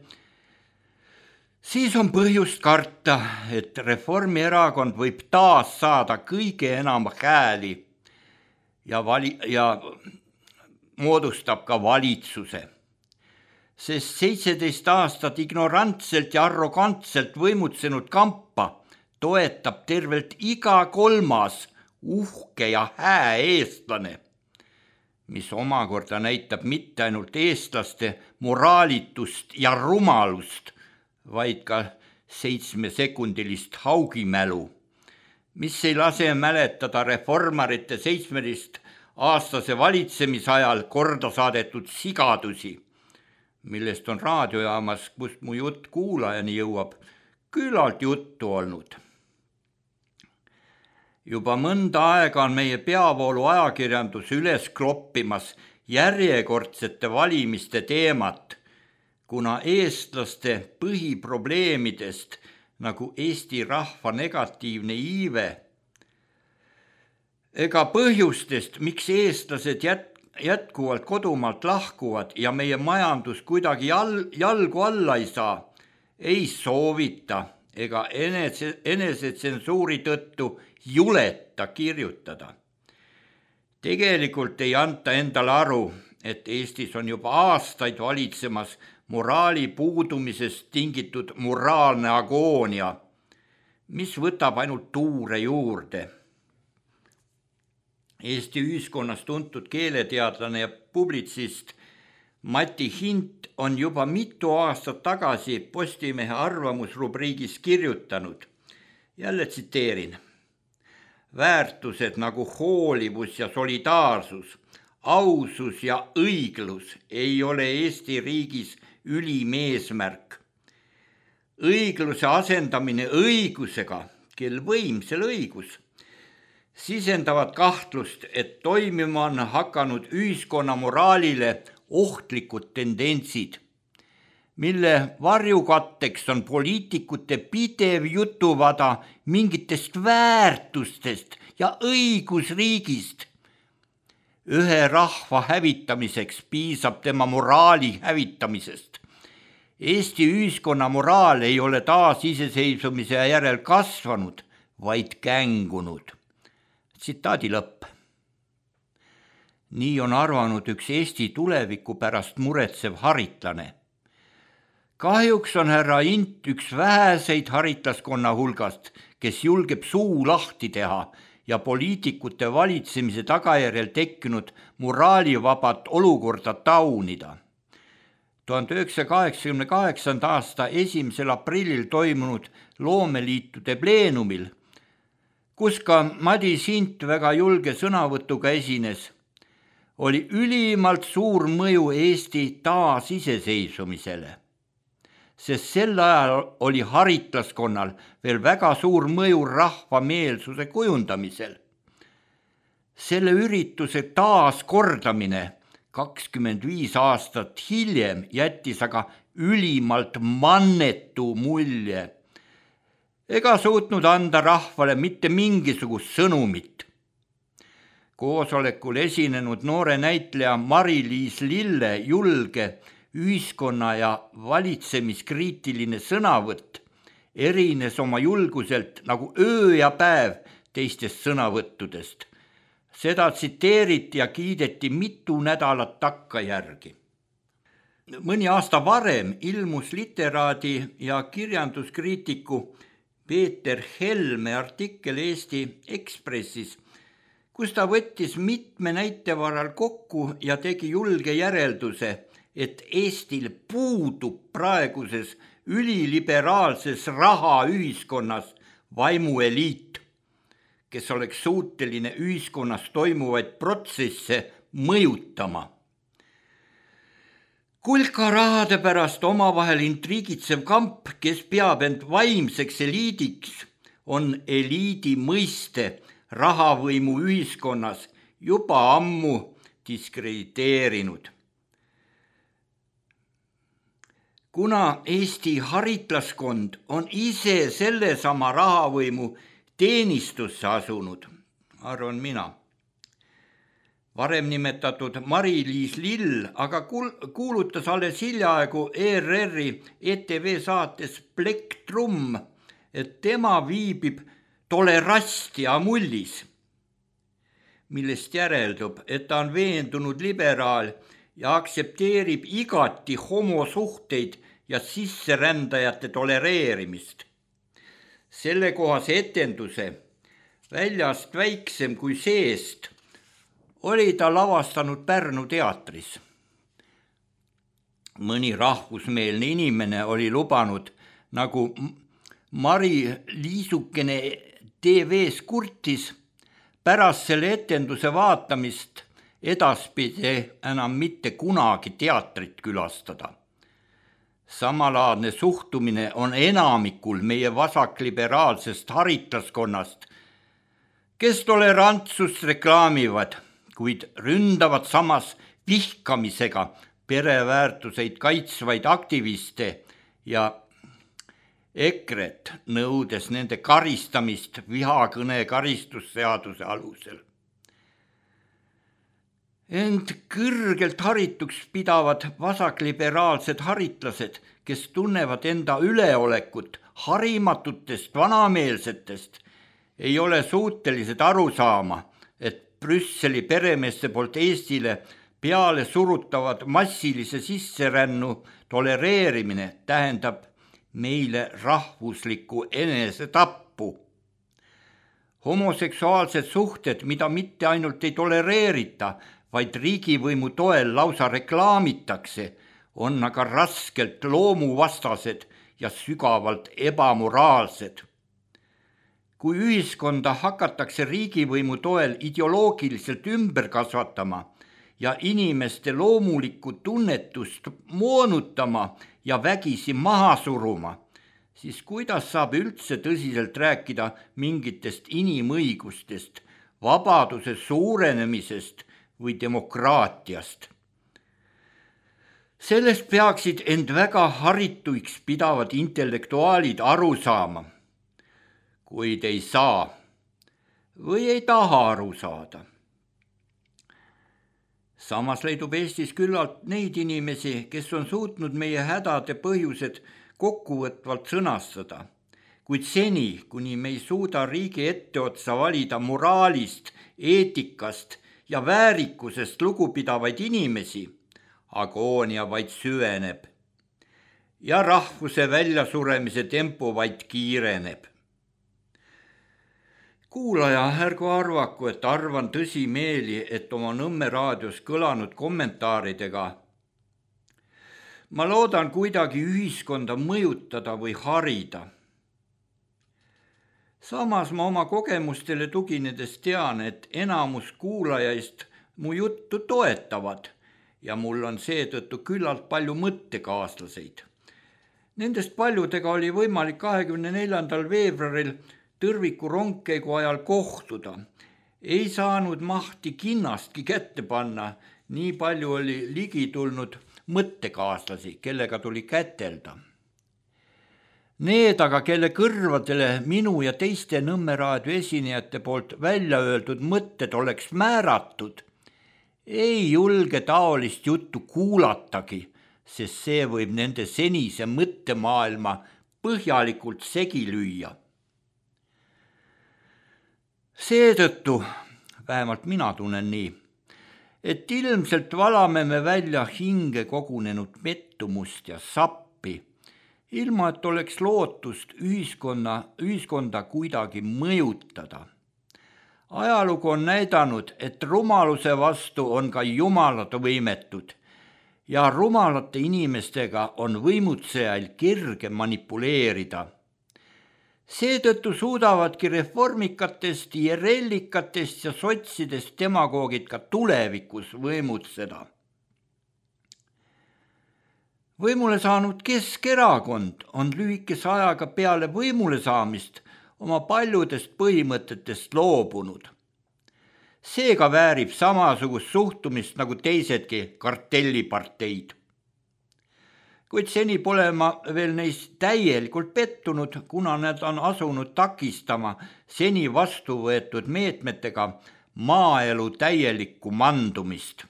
siis on põhjust karta, et Reformierakond võib taas saada kõige enam hääli ja moodustab ka valitsuse. Sest 17 aastat ignorantselt ja arrogantselt võimutsenud kampa toetab tervelt iga kolmas uhke ja hää eestlane, mis omakorda näitab mitte ainult eestlaste moraalitust ja rumalust, vaid ka 7-sekundilist haugimälu, mis ei lase mäletada reformarite 17-aastase valitsemisajal korda saadetud sigadusi, millest on raadiojaamas, kust mu jutt kuulajani jõuab, küllalt juttu olnud. Juba mõnda aega on meie peavoolu ajakirjandus üles kloppimas järjekordsete valimiste teemat, kuna eestlaste põhiprobleemidest nagu Eesti rahva negatiivne iive, ega põhjustest, miks eestlased jätkuvalt kodumaalt lahkuvad ja meie majandus kuidagi jalgu alla ei saa, ei soovita ega enesetsensuuri tõttu juleta kirjutada. Tegelikult ei anta endale aru, et Eestis on juba aastaid valitsemas moraali puudumisest tingitud moraalne agoonia, mis võtab ainult tuure juurde. Eesti ühiskonnas tuntud keeleteadlane ja publitsist Mati Hint on juba mitu aastat tagasi Postimehe arvamusrubriigis kirjutanud, jälle tsiteerin: väärtused nagu hoolivus ja solidaarsus, ausus ja õiglus ei ole Eesti riigis ülim eesmärk. Õigluse asendamine õigusega, kel võimsel õigus, sisendavad kahtlust, et toimima on hakanud ühiskonna moraalile ohtlikud tendentsid, mille varjukatteks on poliitikute pidev jutuvada mingitest väärtustest ja õigusriigist. Ühe rahva hävitamiseks piisab tema moraali hävitamisest. Eesti ühiskonna moraal ei ole taasiseseisvumise järel kasvanud, vaid kängunud. Tsitaadi lõpp. Nii on arvanud üks Eesti tuleviku pärast muretsev haritlane. Kahjuks on härra Int üks väheseid haritlaskonna hulgast, kes julgeb suu lahti teha ja poliitikute valitsemise tagajärjel tekkinud moraalivabat olukorda taunida. 1988. aasta 1. aprillil toimunud loomeliitude pleenumil, kus ka Madis Hint väga julge sõnavõtuga esines, oli ülimalt suur mõju Eesti taasiseseisvumisele, sest sel ajal oli haritlaskonnal veel väga suur mõju rahva meelsuse kujundamisel. Selle ürituse taaskordamine 25 aastat hiljem jättis aga ülimalt mannetu mulje ega suutnud anda rahvale mitte mingisugust sõnumit. Koosolekul esinenud noore näitleja Mari-Liis Lille julge ühiskonna ja valitsemiskriitiline sõnavõtt erines oma julguselt nagu öö ja päev teistest sõnavõttudest. Seda tsiteeriti ja kiideti mitu nädalat takkajärgi. Mõni aasta varem ilmus literaadi ja kirjanduskriitiku Peeter Helme artikkel Eesti Ekspressis, kus ta võttis mitme näite varal kokku ja tegi julge järelduse, et Eestil puudub praeguses üliliberaalses rahaühiskonnas vaimueliit, kes oleks suuteline ühiskonnas toimuvaid protsesse mõjutama. Kulka rahade pärast omavahel intriigitsev kamp, kes peab end vaimseks eliidiks, on eliidi mõiste rahavõimu ühiskonnas juba ammu diskrediteerinud. Kuna Eesti haritlaskond on ise sellesama rahavõimu teenistusse asunud, arvan mina, varem nimetatud Mari-Liis Lill aga kuulutas alles hiljaaegu ERR-i ETV saates Plektrum, et tema viibib Tolerastia mullis, millest järeldub, et ta on veendunud liberaal ja aktsepteerib igati homosuhteid ja sisserändajate tolereerimist. Sellekohase etenduse, väljast väiksem kui seest, oli ta lavastanud Pärnu teatris. Mõni rahvusmeelne inimene oli lubanud, nagu Mari Liisukene TV-s kurtis, pärast selle etenduse vaatamist edaspidi enam mitte kunagi teatrit külastada. Samalaadne suhtumine on enamikul meie vasakliberaalsest haritlaskonnast, kes tolerantsust reklaamivad, kuid ründavad samas vihkamisega pereväärtuseid kaitsvaid aktiviste ja EKRE-t, nõudes nende karistamist vihakõne karistusseaduse alusel. Ent kõrgelt harituks pidavad vasakliberaalsed haritlased, kes tunnevad enda üleolekut harimatutest vanameelsetest, ei ole suutelised aru saama, et Brüsseli peremeeste poolt Eestile peale surutavad massilise sisserännu tolereerimine tähendab meile rahvuslikku enesetappu. Homoseksuaalsed suhted, mida mitte ainult ei tolereerita, vaid riigivõimu toel lausa reklaamitakse, on aga raskelt loomuvastased ja sügavalt ebamoraalsed. Kui ühiskonda hakatakse riigivõimu toel ideoloogiliselt ümber kasvatama ja inimeste loomulikku tunnetust moonutama ja vägisi maha suruma, siis kuidas saab üldse tõsiselt rääkida mingitest inimõigustest, vabaduse suurenemisest või demokraatiast? Sellest peaksid end väga harituiks pidavad intellektuaalid aru saama, kuid ei saa või ei taha aru saada. Samas leidub Eestis küllalt neid inimesi, kes on suutnud meie hädade põhjused kokkuvõtvalt sõnastada, kuid seni, kuni me ei suuda riigi etteotsa valida moraalist, eetikast ja väärikusest lugupidavaid inimesi, agoonia vaid süveneb ja rahvuse väljasuremise tempo vaid kiireneb. Kuulaja, ärgu arvaku, et arvan tõsimeeli, et oma Nõmme raadios kõlanud kommentaaridega ma loodan kuidagi ühiskonda mõjutada või harida. Samas ma oma kogemustele tuginedes tean, et enamus kuulajaist mu juttu toetavad ja mul on seetõttu küllalt palju mõttekaaslaseid. Nendest paljudega oli võimalik 24. veebruaril Tõrviku rongkäigu ajal kohtuda. Ei saanud mahti kinnastki kätte panna, nii palju oli ligi tulnud mõttekaaslasi, kellega tuli kätelda. Need aga, kelle kõrvadele minu ja teiste Nõmme raadio esinejate poolt välja öeldud mõtted oleks määratud, ei julge taolist juttu kuulatagi, sest see võib nende senise mõttemaailma põhjalikult segi lüüa. Seetõttu, vähemalt mina tunnen nii, et ilmselt valame me välja hinge kogunenud pettumust ja sappi, ilma et oleks lootust ühiskonda kuidagi mõjutada. Ajalugu on näidanud, et rumaluse vastu on ka jumalad võimetud ja rumalate inimestega on võimutsejail kerge manipuleerida. Seetõttu suudavadki reformikatest, IRL-ikatest ja sotsidest demagoogid ka tulevikus võimutseda. Võimule saanud Keskerakond on lühikese ajaga peale võimule saamist oma paljudest põhimõtetest loobunud. Seega väärib samasugust suhtumist nagu teisedki kartelliparteid. Kuid seni pole ma veel neist täielikult pettunud, kuna nad on asunud takistama seni vastu võetud meetmetega maaelu täielikku mandumist.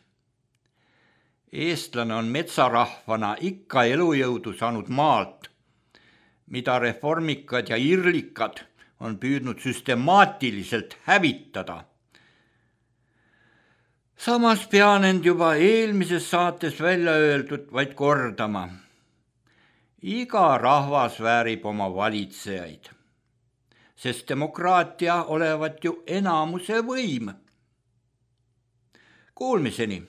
Eestlane on metsarahvana ikka elujõudu saanud maalt, mida reformikad ja irlikad on püüdnud süstemaatiliselt hävitada. Samas pean end juba eelmises saates välja öeldud vaid kordama. Iga rahvas väärib oma valitsejaid, sest demokraatia olevat ju enamuse võim. Kuulmiseni.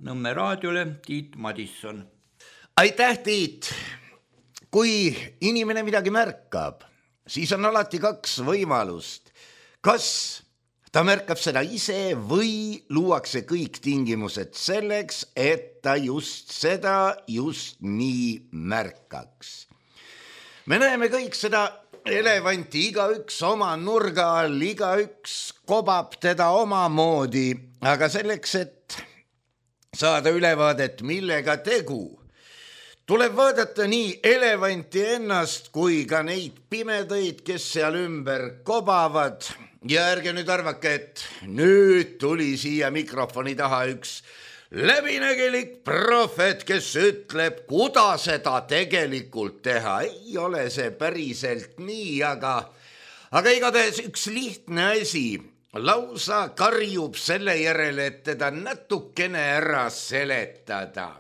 Nõmme raadiole Tiit Madisson. Aitäh, Tiit! Kui inimene midagi märkab, siis on alati kaks võimalust. Kas ta märkab seda ise või luuakse kõik tingimused selleks, et ta just seda just nii märkaks. Me näeme kõik seda elevanti, igaüks oma nurga all, igaüks kobab teda omamoodi, aga selleks, et saada ülevaadet, millega tegu, tuleb vaadata nii elevanti ennast kui ka neid pimedaid, kes seal ümber kobavad. Ja ärge nüüd arvake, et nüüd tuli siia mikrofoni taha üks läbinägelik prohvet, kes ütleb, kuidas seda tegelikult teha. Ei ole see päriselt nii, aga igatahes üks lihtne asi lausa karjub selle järele, et teda natukene ära seletada.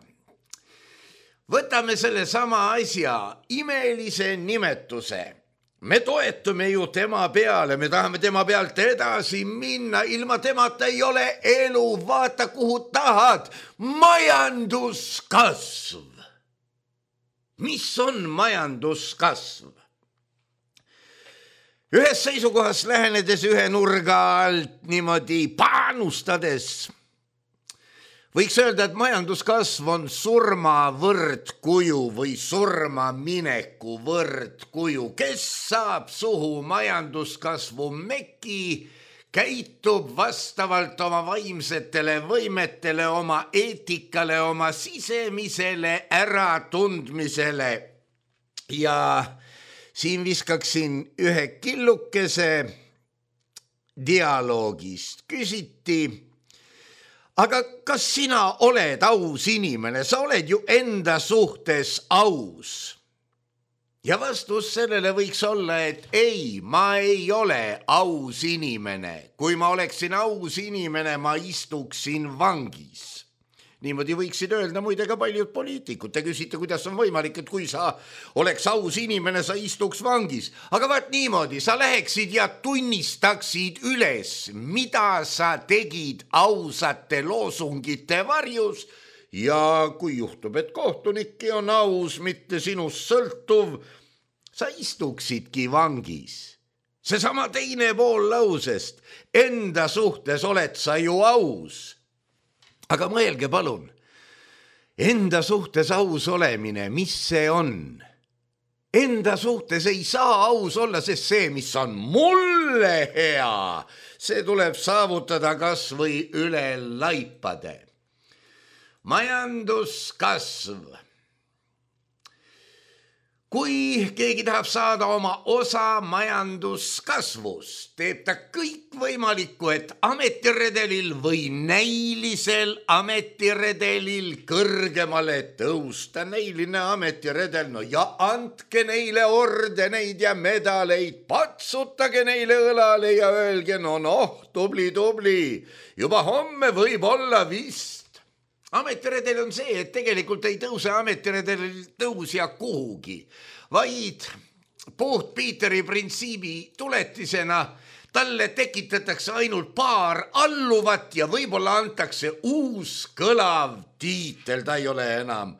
Võtame selle sama asja, imelise nimetuse. Me toetume ju tema peale, me tahame tema pealt edasi minna, ilma temata ei ole elu, vaata kuhu tahad. Majanduskasv. Mis on majanduskasv? Ühes seisukohas lähenedes ühe nurga alt niimoodi panustades võiks öelda, et majanduskasv on surma võrdkuju või surma mineku võrdkuju. Kes saab suhu majanduskasvu meki, käitub vastavalt oma vaimsetele võimetele, oma eetikale, oma sisemisele äratundmisele. Ja siin viskaksin ühe killukese dialoogist. Küsiti, aga kas sina oled aus inimene? Sa oled ju enda suhtes aus. Ja vastus sellele võiks olla, et ei, ma ei ole aus inimene. Kui ma oleksin aus inimene, ma istuksin vangis. Niimoodi võiksid öelda muide ka paljud poliitikud. Te küsite, kuidas on võimalik, et kui sa oleks aus inimene, sa istuks vangis. Aga vaat niimoodi, sa läheksid ja tunnistaksid üles, mida sa tegid ausate loosungite varjus. Ja kui juhtub, et kohtunikki on aus, mitte sinust sõltuv, sa istuksidki vangis. Seesama teine pool lausest, enda suhtes oled sa ju aus. Aga mõelge palun, enda suhtes aus olemine, mis see on? Enda suhtes ei saa aus olla, sest see, mis on mulle hea, see tuleb saavutada kas või üle laipade. Majanduskasv. Kui keegi tahab saada oma osa majanduskasvust, teeb ta kõik võimalikku, et ametiredelil või näilisel ametiredelil kõrgemale tõusta. Näiline ametiredel, no ja andke neile ordeneid ja medaleid, patsutage neile õlale ja öelge, tubli, juba homme võib olla vist. Ametiredel on see, et tegelikult ei tõuse ametiredelil tõusja kuhugi, vaid puht Piiteri printsiibi tuletisena talle tekitatakse ainult paar alluvat ja võib-olla antakse uus kõlav tiitel. Ta ei ole enam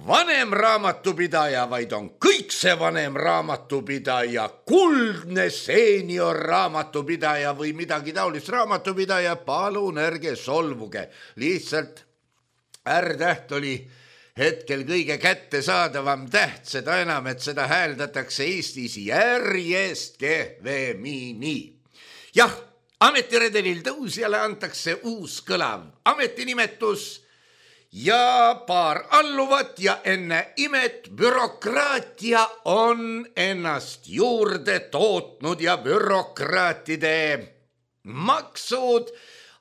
vanem raamatupidaja, vaid on kõik see vanem raamatupidaja, kuldne seenior raamatupidaja või midagi taolist. Raamatupidaja, palun ärge solvuge, lihtsalt R-täht oli hetkel kõige kättesaadavam täht, seda enam, et seda hääldatakse Eestis järjest kehvemini. Jah, ametiredelil tõusjale antakse uus kõlav ametinimetus ja paar alluvat ja enne imet bürokraatia on ennast juurde tootnud ja bürokraatide maksud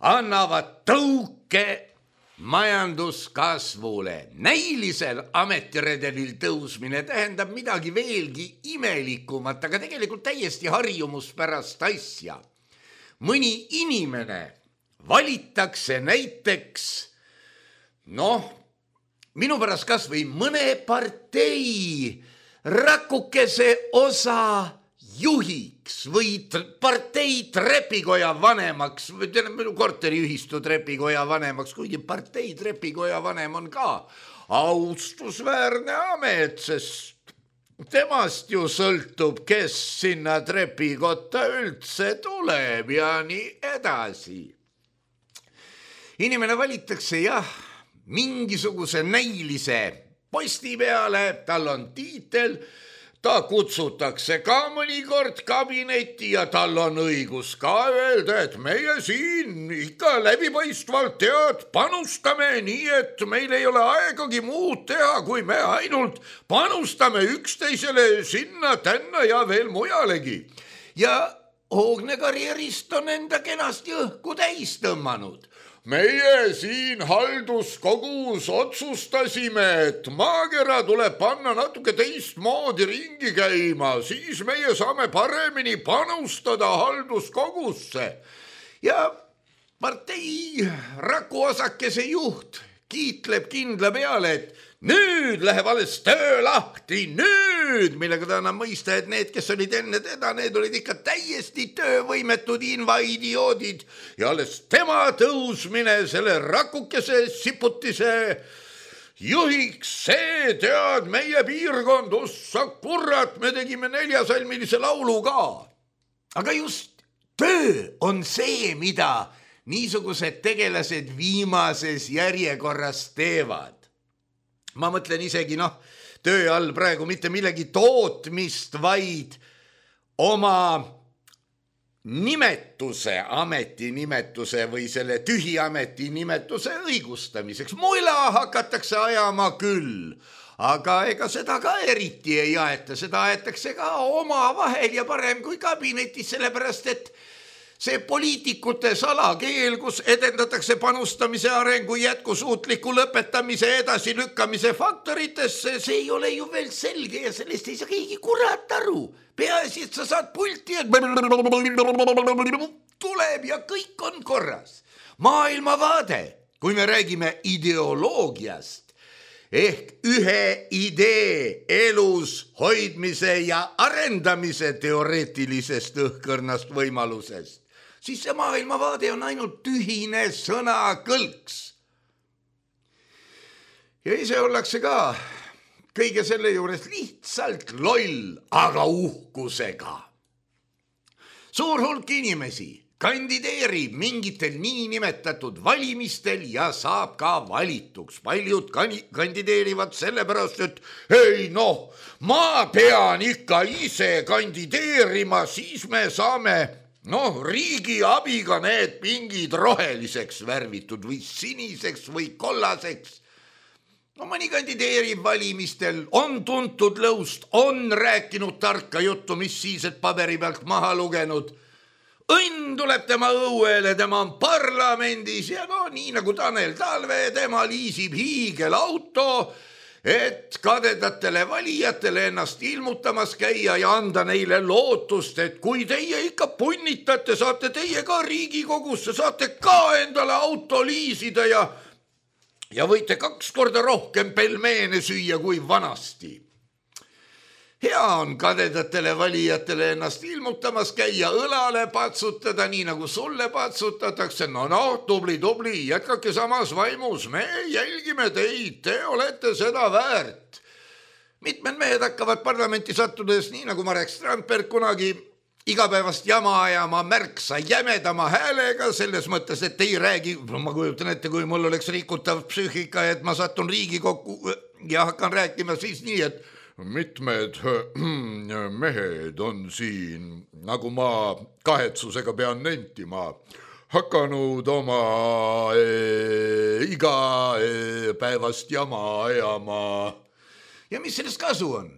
annavad tõuke majanduskasvule. Näilisel ametiredelil tõusmine tähendab midagi veelgi imelikumat, aga tegelikult täiesti harjumuspärast asja. Mõni inimene valitakse näiteks, minu pärast kas või mõne partei rakukese osa juhiks või partei trepikoja vanemaks, korteriühistu trepikoja vanemaks, kuigi partei trepikoja vanem on ka austusväärne amet, sest temast ju sõltub, kes sinna trepikotta üldse tuleb ja nii edasi. Inimene valitakse mingisuguse näilise posti peale, tal on tiitel, ta kutsutakse ka mõnikord kabinetti ja tal on õigus ka öelda, et meie siin ikka läbipaistvalt tead panustame nii, et meil ei ole aegagi muud teha, kui me ainult panustame üksteisele sinna, tänna ja veel mujalegi. Ja hoogne karjärist on enda kenasti õhku täis tõmmanud. Meie siin halduskogus otsustasime, et maakera tuleb panna natuke teistmoodi ringi käima, siis meie saame paremini panustada halduskogusse. Ja partei rakuosakese juht kiitleb kindla peale, et nüüd läheb alles töö lahti, nüüd, millega ta annab mõista, et need, kes olid enne teda, need olid ikka täiesti töövõimetud invaidioodid ja alles tema tõusmine selle rakukese siputise juhiks, see tead meie piirkond, ossa kurat, me tegime 4-salmilise laulu ka. Aga just töö on see, mida niisugused tegelased viimases järjekorras teevad. Ma mõtlen isegi töö all praegu mitte millegi tootmist, vaid oma nimetuse, ametinimetuse või selle tühi ametinimetuse õigustamiseks. Mulla hakatakse ajama küll, aga ega seda ka eriti ei aeta, seda aetakse ka oma vahel ja parem kui kabinetis, sellepärast et see poliitikute salakeel, kus edendatakse panustamise arengu jätkusuutliku lõpetamise edasi lükkamise faktoritesse, see ei ole ju veel selge ja sellest ei saa keegi kurat aru. Peaasi, et sa saad pulti, et tuleb ja kõik on korras. Maailmavaade, kui me räägime ideoloogiast, ehk ühe idee elus hoidmise ja arendamise teoreetilisest õhkõrnast võimalusest, siis see maailmavaade on ainult tühine sõnakõlks. Ja ise ollakse ka kõige selle juures lihtsalt loll, aga uhkusega. Suur hulk inimesi kandideerib mingitel niinimetatud valimistel ja saab ka valituks. Paljud kandideerivad sellepärast, et ei ma pean ikka ise kandideerima, siis me saame riigi abiga need pingid roheliseks värvitud või siniseks või kollaseks. Mõni kandideerib valimistel, on tuntud lõust, on rääkinud tarka juttu, mis siis, et paberi pealt maha lugenud. Õnn tuleb tema õuele, tema on parlamendis ja nii nagu Tanel Talve, tema liisib hiigelauto, et kadedatele valijatele ennast ilmutamas käia ja anda neile lootust, et kui teie ikka punnitate, saate teie ka Riigikogusse, saate ka endale auto liisida ja võite 2 korda rohkem pelmeene süüa kui vanasti. Hea on kadedatele valijatele ennast ilmutamas käia, õlale patsutada, nii nagu sulle patsutatakse. Tubli, jätkake samas vaimus, me jälgime teid, te olete seda väärt. Mitmed mehed hakkavad parlamenti sattudes, nii nagu Marek Strandberg kunagi, igapäevast jama ajama märksa jämedama häälega, selles mõttes, et ei räägi, ma kujutan ette, kui mul oleks rikutav psüühika, et ma satun Riigikokku ja hakkan rääkima siis nii, et mitmed mehed on siin, nagu ma kahetsusega pean nentima, hakanud oma igapäevast jama ajama. Ja mis sellest kasu on?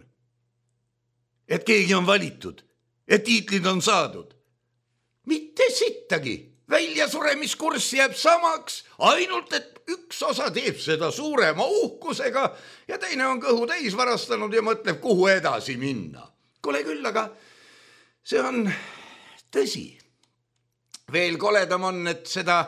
Et keegi on valitud, et tiitlid on saadud. Mitte sittagi. Väljasuremiskurs jääb samaks, ainult et üks osa teeb seda suurema uhkusega ja teine on kõhu täis varastanud ja mõtleb, kuhu edasi minna. Kole küll, aga see on tõsi. Veel koledam on, et seda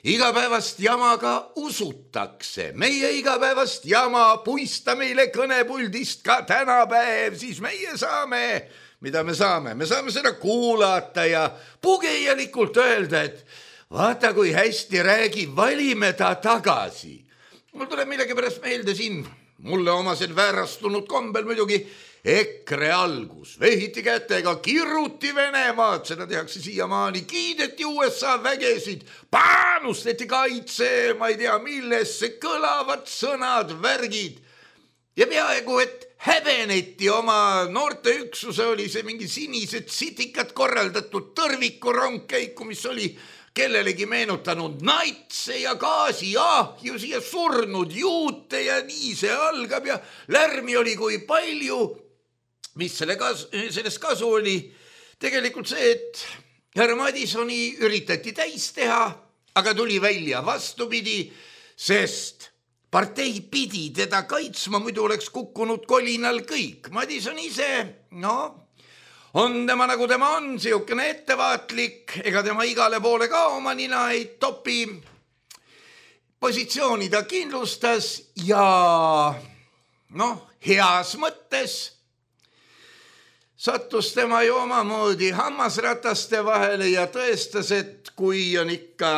igapäevast jama ka usutakse. Meie igapäevast jama puista meile kõnepuldist ka tänapäev, siis meie saame, mida me saame? Me saame seda kuulata ja pugejalikult öelda, et vaata, kui hästi räägib, valime ta tagasi. Mul tuleb millegi pärast meelde siin, mulle omased väärastunud kombel muidugi, EKRE algus. Vehiti kätega, kiruti Venemaad, seda tehakse siiamaani, kiideti USA vägesid, panustati kaitse, ma ei tea millesse, kõlavad sõnad, värgid. Ja peaaegu, et häbeneti oma noorteüksuse, oli see mingi sinised sitikad korraldatud tõrvikurongkäiku, mis oli kellelegi meenutanud natse ja gaasiahju ja surnud juute ja nii see algab ja lärmi oli kui palju. Mis sellest kasu oli? Tegelikult see, et härra Madisoni üritati täis teha, aga tuli välja vastupidi, sest partei pidi teda kaitsma, muidu oleks kukkunud kolinal kõik. Madison ise, on tema nagu tema on, siukene ettevaatlik, ega tema igale poole ka oma nina ei topi. Positsiooni ta kindlustas ja heas mõttes sattus tema ju omamoodi hammasrataste vahele ja tõestas, et kui on ikka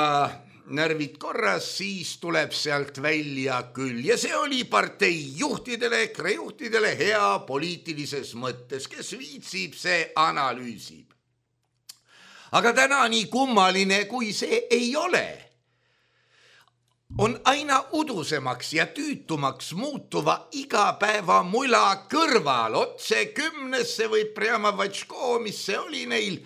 närvid korras, siis tuleb sealt välja küll. Ja see oli partei juhtidele, EKRE juhtidele hea poliitilises mõttes, kes viitsib, see analüüsib. Aga täna nii kummaline, kui see ei ole, on aina udusemaks ja tüütumaks muutuva igapäeva mula kõrval. Otse 10 võib Prjama Vatško, mis see oli neil,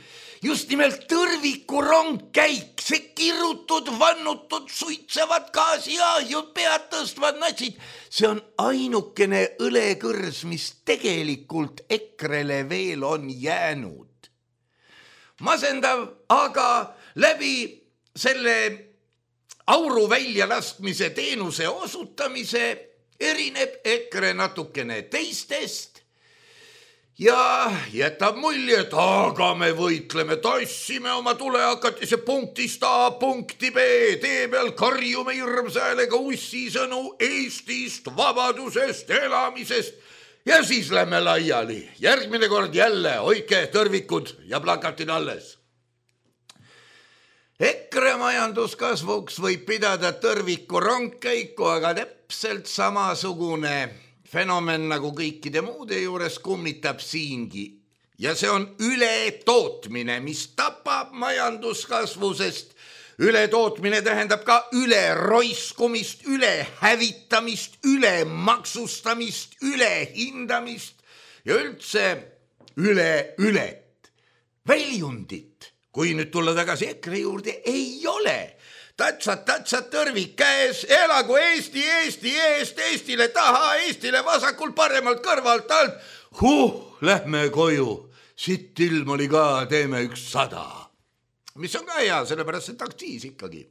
just nimelt tõrvikurongkäik, see kirutud, vannutud, suitsevad gaasiahjud, pead tõstvad natsid. See on ainukene õlekõrs, mis tegelikult EKRE-le veel on jäänud. Masendav, aga läbi selle auru väljalaskmise teenuse osutamise erineb EKRE natukene teistest ja jätab mulje, et aga me võitleme, tassime oma tulehakatise punktist A punkti B, tee peal karjume hirmsa häälega ussisõnu Eestist, vabadusest, elamisest ja siis lähme laiali. Järgmine kord jälle hoidke tõrvikud ja plakatid alles. EKRE majanduskasvuks võib pidada tõrviku rongkäiku, aga täpselt samasugune fenomen nagu kõikide muude juures kummitab siingi. Ja see on ületootmine, mis tapab majanduskasvu, sest ületootmine tähendab ka üleroiskumist, ülehävitamist, ülemaksustamist, ülehindamist ja üldse ület. Väljundit. Kui nüüd tulla tagasi EKRE juurde, ei ole. Tatsad, tõrvik käes, elagu Eesti, Eesti eest, Eestile taha, Eestile vasakul, paremalt, kõrvalt, alt. Lähme koju. Sitt ilm oli ka, teeme 100. Mis on ka hea, sellepärast et aktsiis ikkagi.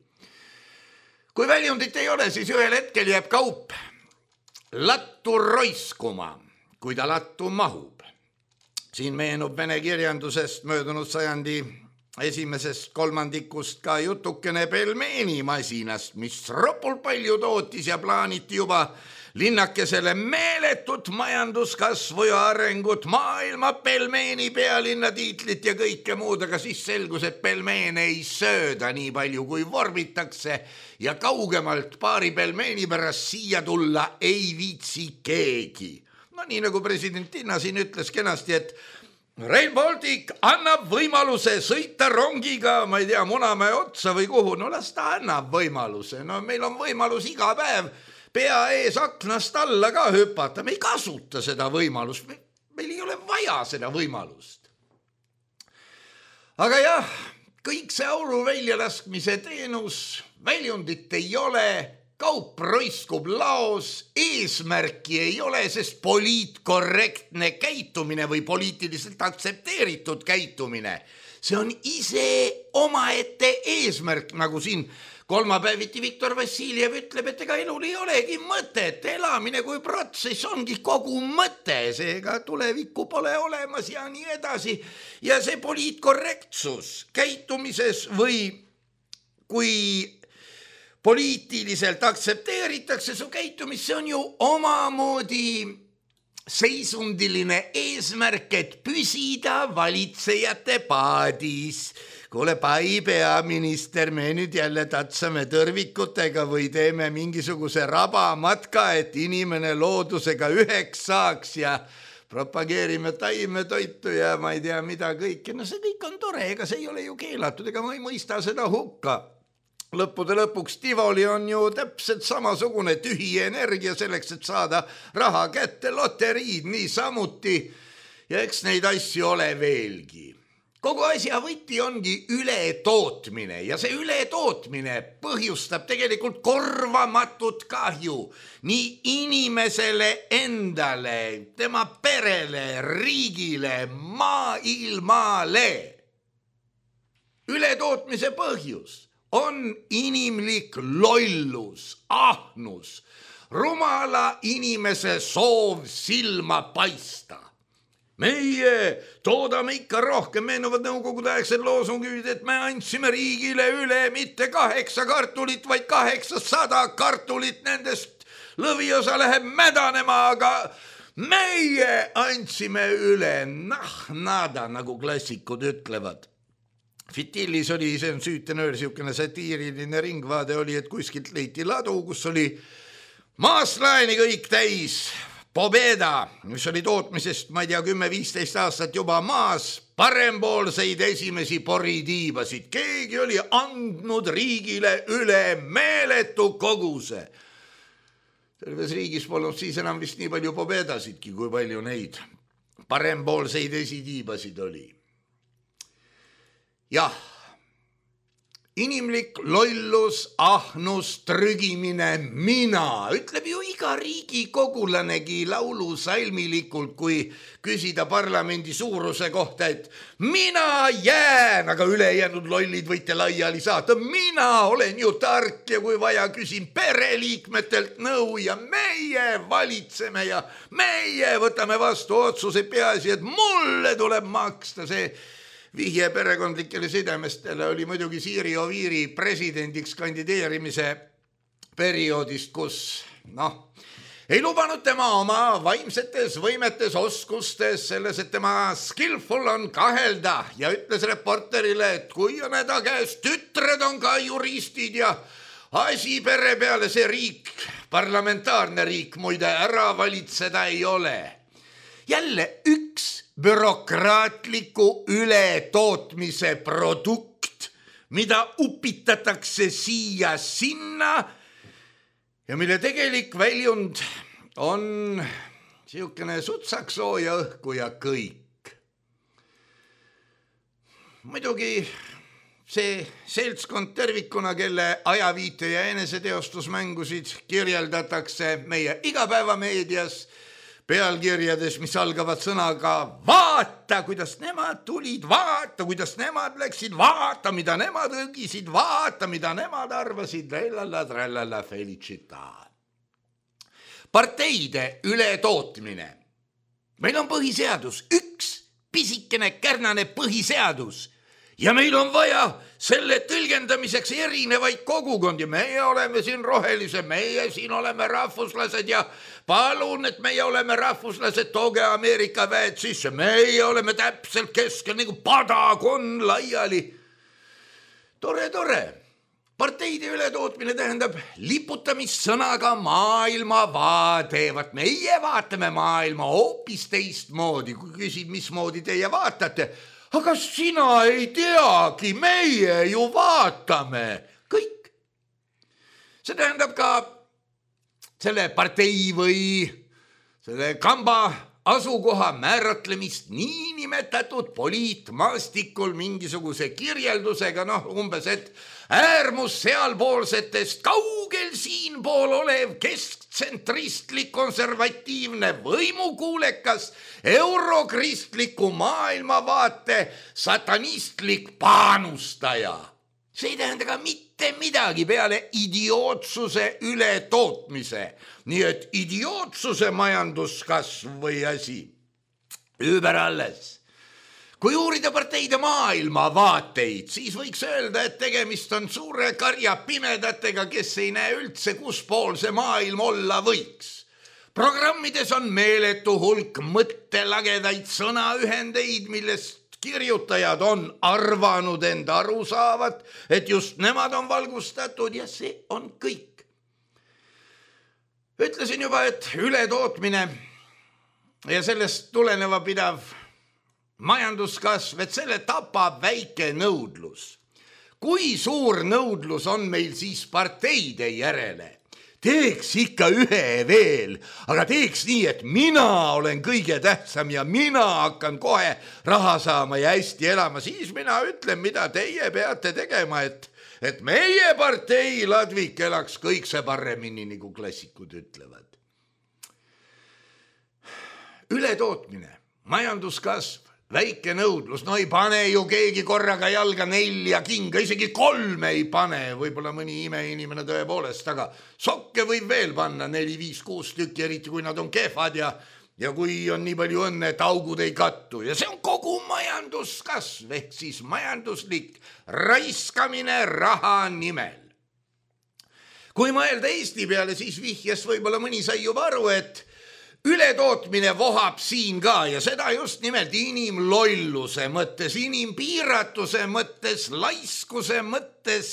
Kui väljundit ei ole, siis ühel hetkel jääb kaup lattu roiskuma, kui ta lattu mahub. Siin meenub vene kirjandusest möödunud sajandi esimesest kolmandikust ka jutukene pelmeenimasinast, mis ropul palju tootis ja plaaniti juba linnakesele meeletut majanduskasvu ja arengut, maailma pelmeeni pealinna tiitlit ja kõike muud, aga siis selgus, et pelmeene ei sööda nii palju, kui vorbitakse ja kaugemalt paari pelmeeni pärast siia tulla ei viitsi keegi. Nii nagu president Tinna siin ütles kenasti, et Rail Baltic annab võimaluse sõita rongiga, ma ei tea, Munamäe otsa või kuhu, las ta annab võimaluse. Meil on võimalus iga päev pea ees aknast alla ka hüpata, me ei kasuta seda võimalust, meil ei ole vaja seda võimalust. Aga jah, kõik see auru väljalaskmise teenus, väljundit ei ole, kaup roiskub laos, eesmärki ei ole, sest poliitkorrektne käitumine või poliitiliselt aktsepteeritud käitumine, see on ise omaette eesmärk, nagu siin kolmapäeviti Viktor Vassiljev ütleb, et ega elul ei olegi mõtet, elamine kui protsess ongi kogu mõte, seega tulevikku pole olemas ja nii edasi. Ja see poliitkorrektsus käitumises või kui poliitiliselt aktsepteeritakse su käitumist, see on ju omamoodi seisundiline eesmärk, et püsida valitsejate paadis. Kuule, pai peaminister, me nüüd jälle tatsame tõrvikutega või teeme mingisuguse rabamatka, et inimene loodusega üheks saaks ja propageerime taimetoitu ja ma ei tea mida kõike. See kõik on tore, ega see ei ole ju keelatud, ega ma ei mõista seda hukka. lõppude lõpuks Tivoli on ju täpselt samasugune tühi energia selleks, et saada raha kätte, loteriid niisamuti ja eks neid asju ole veelgi. Kogu asja võti ongi ületootmine ja see ületootmine põhjustab tegelikult korvamatut kahju nii inimesele endale, tema perele, riigile, maailmale. Ületootmise põhjus on inimlik lollus, ahnus, rumala inimese soov silma paista. Meie toodame ikka rohkem, meenuvad nõukogude aegsed loosungid, et me andsime riigile üle mitte 8 kartulit, vaid 800 kartulit, nendest lõviosa läheb mädanema, aga meie andsime üle nada, nagu klassikud ütlevad. Fitillis oli, see on süütenöör, siukene satiiriline ringvaade oli, et kuskilt leiti ladu, kus oli maaslaeni kõik täis Pobeda, mis oli tootmisest, ma ei tea, 10-15 aastat juba maas, parempoolseid esimesi poritiibasid. Keegi oli andnud riigile üle meeletu koguse. Terves riigis polnud siis enam vist nii palju Pobedasidki, kui palju neid parempoolseid esitiibasid oli. Jah, inimlik lollus, ahnus, trügimine, mina, ütleb ju iga riigikogulanegi laulusalmilikult, kui küsida parlamendi suuruse kohta, et mina jään, aga ülejäänud lollid võite laiali saata. Mina olen ju tark ja kui vaja, küsin pereliikmetelt nõu ja meie valitseme ja meie võtame vastu otsuse, peaasi, et mulle tuleb maksta see. Vihje perekondlikele sidemestele oli muidugi Siiri Oviiri presidendiks kandideerimise perioodist, kus ei lubanud tema oma vaimsetes võimetes, oskustes, selles, et tema skillful on kahelda ja ütles reporterile, et kui on häda käes, tütred on ka juristid ja asi pere peale see riik, parlamentaarne riik muide ära valitseda ei ole. Jälle üks bürokraatliku ületootmise produkt, mida upitatakse siia sinna ja mille tegelik väljund on siukene sutsaksooja õhku ja kõik. Muidugi see seltskond tervikuna, kelle ajaviite ja eneseteostusmängusid kirjeldatakse meie igapäevameedias, pealkirjades, mis algavad sõnaga vaata, kuidas nemad tulid, vaata, kuidas nemad läksid, vaata, mida nemad õgisid, vaata, mida nemad arvasid, trellala, felicita. Parteide ületootmine. Meil on põhiseadus, üks pisikene kärnane põhiseadus ja meil on vaja selle tõlgendamiseks erinevaid kogukondi. Meie oleme siin rohelise, meie siin oleme rahvuslased ja palun, et meie oleme rahvuslased, tooge Ameerika väed sisse. Meie oleme täpselt keskel nagu padakon laiali. Tore. Parteide ületootmine tähendab liputamist sõnaga maailmavaade. Meie vaatame maailma hoopis teistmoodi, kui küsid, mismoodi teie vaatate. Aga sina ei teagi, meie ju vaatame kõik. See tähendab ka selle partei või selle kamba asukoha määratlemist niinimetatud poliitmaastikul mingisuguse kirjeldusega, umbes, et äärmus sealpoolsetest kaugel siinpool olev kesktsentristlik konservatiivne võimukuulekas eurokristliku maailmavaate satanistlik paanustaja. See ei tähenda ka mitte midagi peale idiootsuse ületootmise. Nii et idiootsuse majanduskasv või asi. Ümber alles. Kui uurida parteide maailmavaateid, siis võiks öelda, et tegemist on suure karja pimedatega, kes ei näe üldse, kus pool see maailm olla võiks. Programmides on meeletu hulk mõttelagedaid sõnaühendeid, millest kirjutajad on arvanud enda aru saavat, et just nemad on valgustatud ja see on kõik. Ütlesin juba, et ületootmine ja sellest tuleneva pidav majanduskasv, et selle tapab väike nõudlus. kui suur nõudlus on meil siis parteide järele? Teeks ikka ühe veel, aga teeks nii, et mina olen kõige tähtsam ja mina hakkan kohe raha saama ja hästi elama. Siis mina ütlen, mida teie peate tegema, et meie partei ladvik elaks kõik see paremini, nagu klassikud ütlevad. Ületootmine, majanduskasv, väike nõudlus, no ei pane ju keegi korraga jalga 4 kinga, isegi 3 ei pane, võib-olla mõni imeinimene tõepoolest, aga sokke võib veel panna 4, 5, 6 tükki, eriti kui nad on kehvad ja kui on nii palju õnne, et augud ei kattu. Ja see on kogu majanduskasv, ehk siis majanduslik raiskamine raha nimel. Kui mõelda Eesti peale, siis vihjes võib-olla mõni sai juba aru, et ületootmine vohab siin ka ja seda just nimelt inimlolluse mõttes, inimpiiratuse mõttes, laiskuse mõttes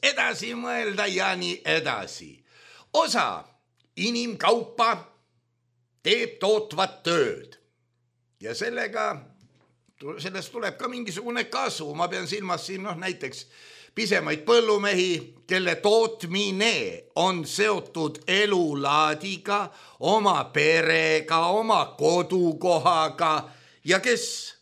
edasi mõelda ja nii edasi. Osa inimkaupa teeb tootvat tööd ja sellest tuleb ka mingisugune kasu. Ma pean silmas siin näiteks pisemaid põllumehi, kelle tootmine on seotud elulaadiga, oma perega, oma kodukohaga ja kes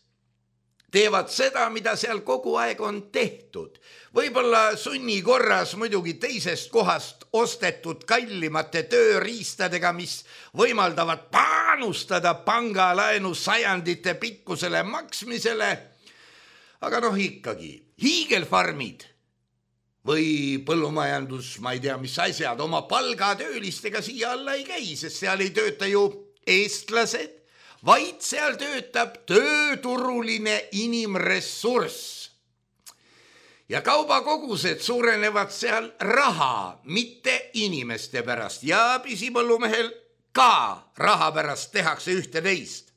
teevad seda, mida seal kogu aeg on tehtud. Võib-olla sunni korras muidugi teisest kohast ostetud kallimate tööriistadega, mis võimaldavad panustada pangalaenu sajandite pikkusele maksmisele. Aga ikkagi, hiigelfarmid või põllumajandus, ma ei tea, mis asjad, oma palgatöölistega siia alla ei käi, sest seal ei tööta ju eestlased, vaid seal töötab tööturuline inimressurss. Ja kaubakogused suurenevad seal raha, mitte inimeste pärast ja pisipõllumehel ka raha pärast tehakse ühte teist.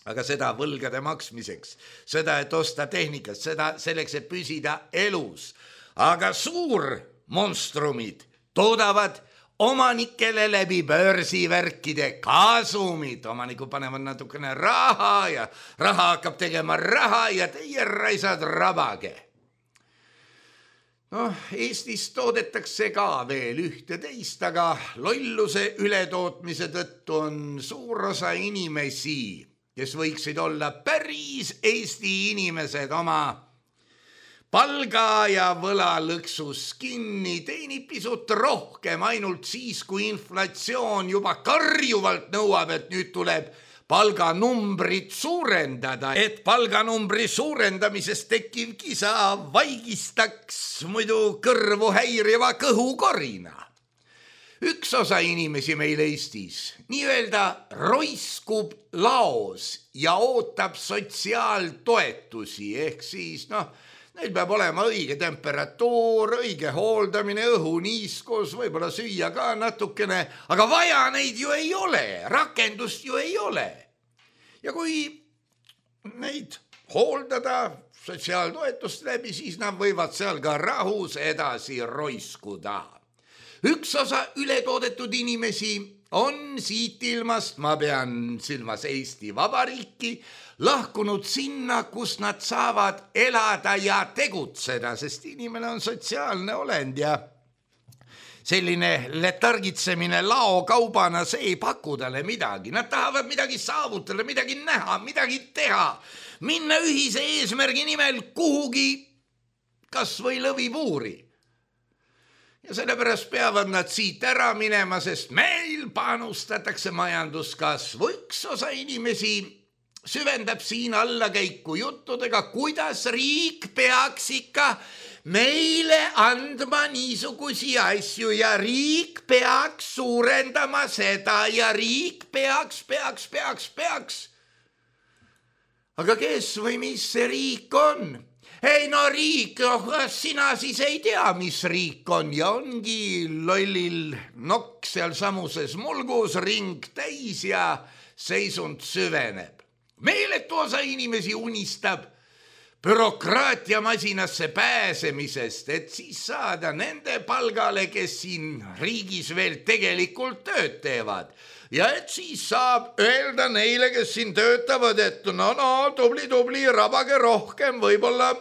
Aga seda võlgade maksmiseks, seda, et osta tehnikat, seda selleks, et püsida elus. Aga suurmonstrumid toodavad omanikele läbi börsivärkide kasumid. Omanikud panevad natukene raha ja raha hakkab tegema raha ja teie raisad rabage. Eestis toodetakse ka veel ühte teist, aga lolluse ületootmise tõttu on suur osa inimesi, kes võiksid olla päris Eesti inimesed oma palga ja võlalõksus kinni, teenib pisut rohkem ainult siis, kui inflatsioon juba karjuvalt nõuab, et nüüd tuleb palganumbrit suurendada, et palganumbri suurendamisest tekkiv kisa vaigistaks muidu kõrvu häiriva kõhukorina. Üks osa inimesi meil Eestis nii-öelda roiskub laos ja ootab sotsiaaltoetusi, ehk siis neil peab olema õige temperatuur, õige hooldamine, õhuniiskus, võib-olla süüa ka natukene, aga vaja neid ju ei ole, rakendust ju ei ole. Ja kui neid hooldada sotsiaaltoetust läbi, siis nad võivad seal ka rahus edasi roiskuda. Üks osa ületoodetud inimesi on siit ilmast, ma pean silmas Eesti Vabariiki, lahkunud sinna, kus nad saavad elada ja tegutseda, sest inimene on sotsiaalne olend ja selline letargitsemine laokaubana, see ei paku talle midagi. Nad tahavad midagi saavutada, midagi näha, midagi teha, minna ühise eesmärgi nimel kuhugi kas või lõvipuuri. Ja sellepärast peavad nad siit ära minema, sest meil panustatakse majanduskasvu. Üks osa inimesi süvendab siin allakäiku juttudega, kuidas riik peaks ikka meile andma niisugusi asju ja riik peaks suurendama seda ja riik peaks. Aga kes või mis see riik on? Ei riik, sina siis ei tea, mis riik on ja ongi lollil nokk seal samuses mulgus, ring täis ja seisund süveneb. Meeletu osa inimesi unistab bürokraatiamasinasse pääsemisest, et siis saada nende palgale, kes siin riigis veel tegelikult tööd teevad. Ja et siis saab öelda neile, kes siin töötavad, et tubli, rabage rohkem, võib-olla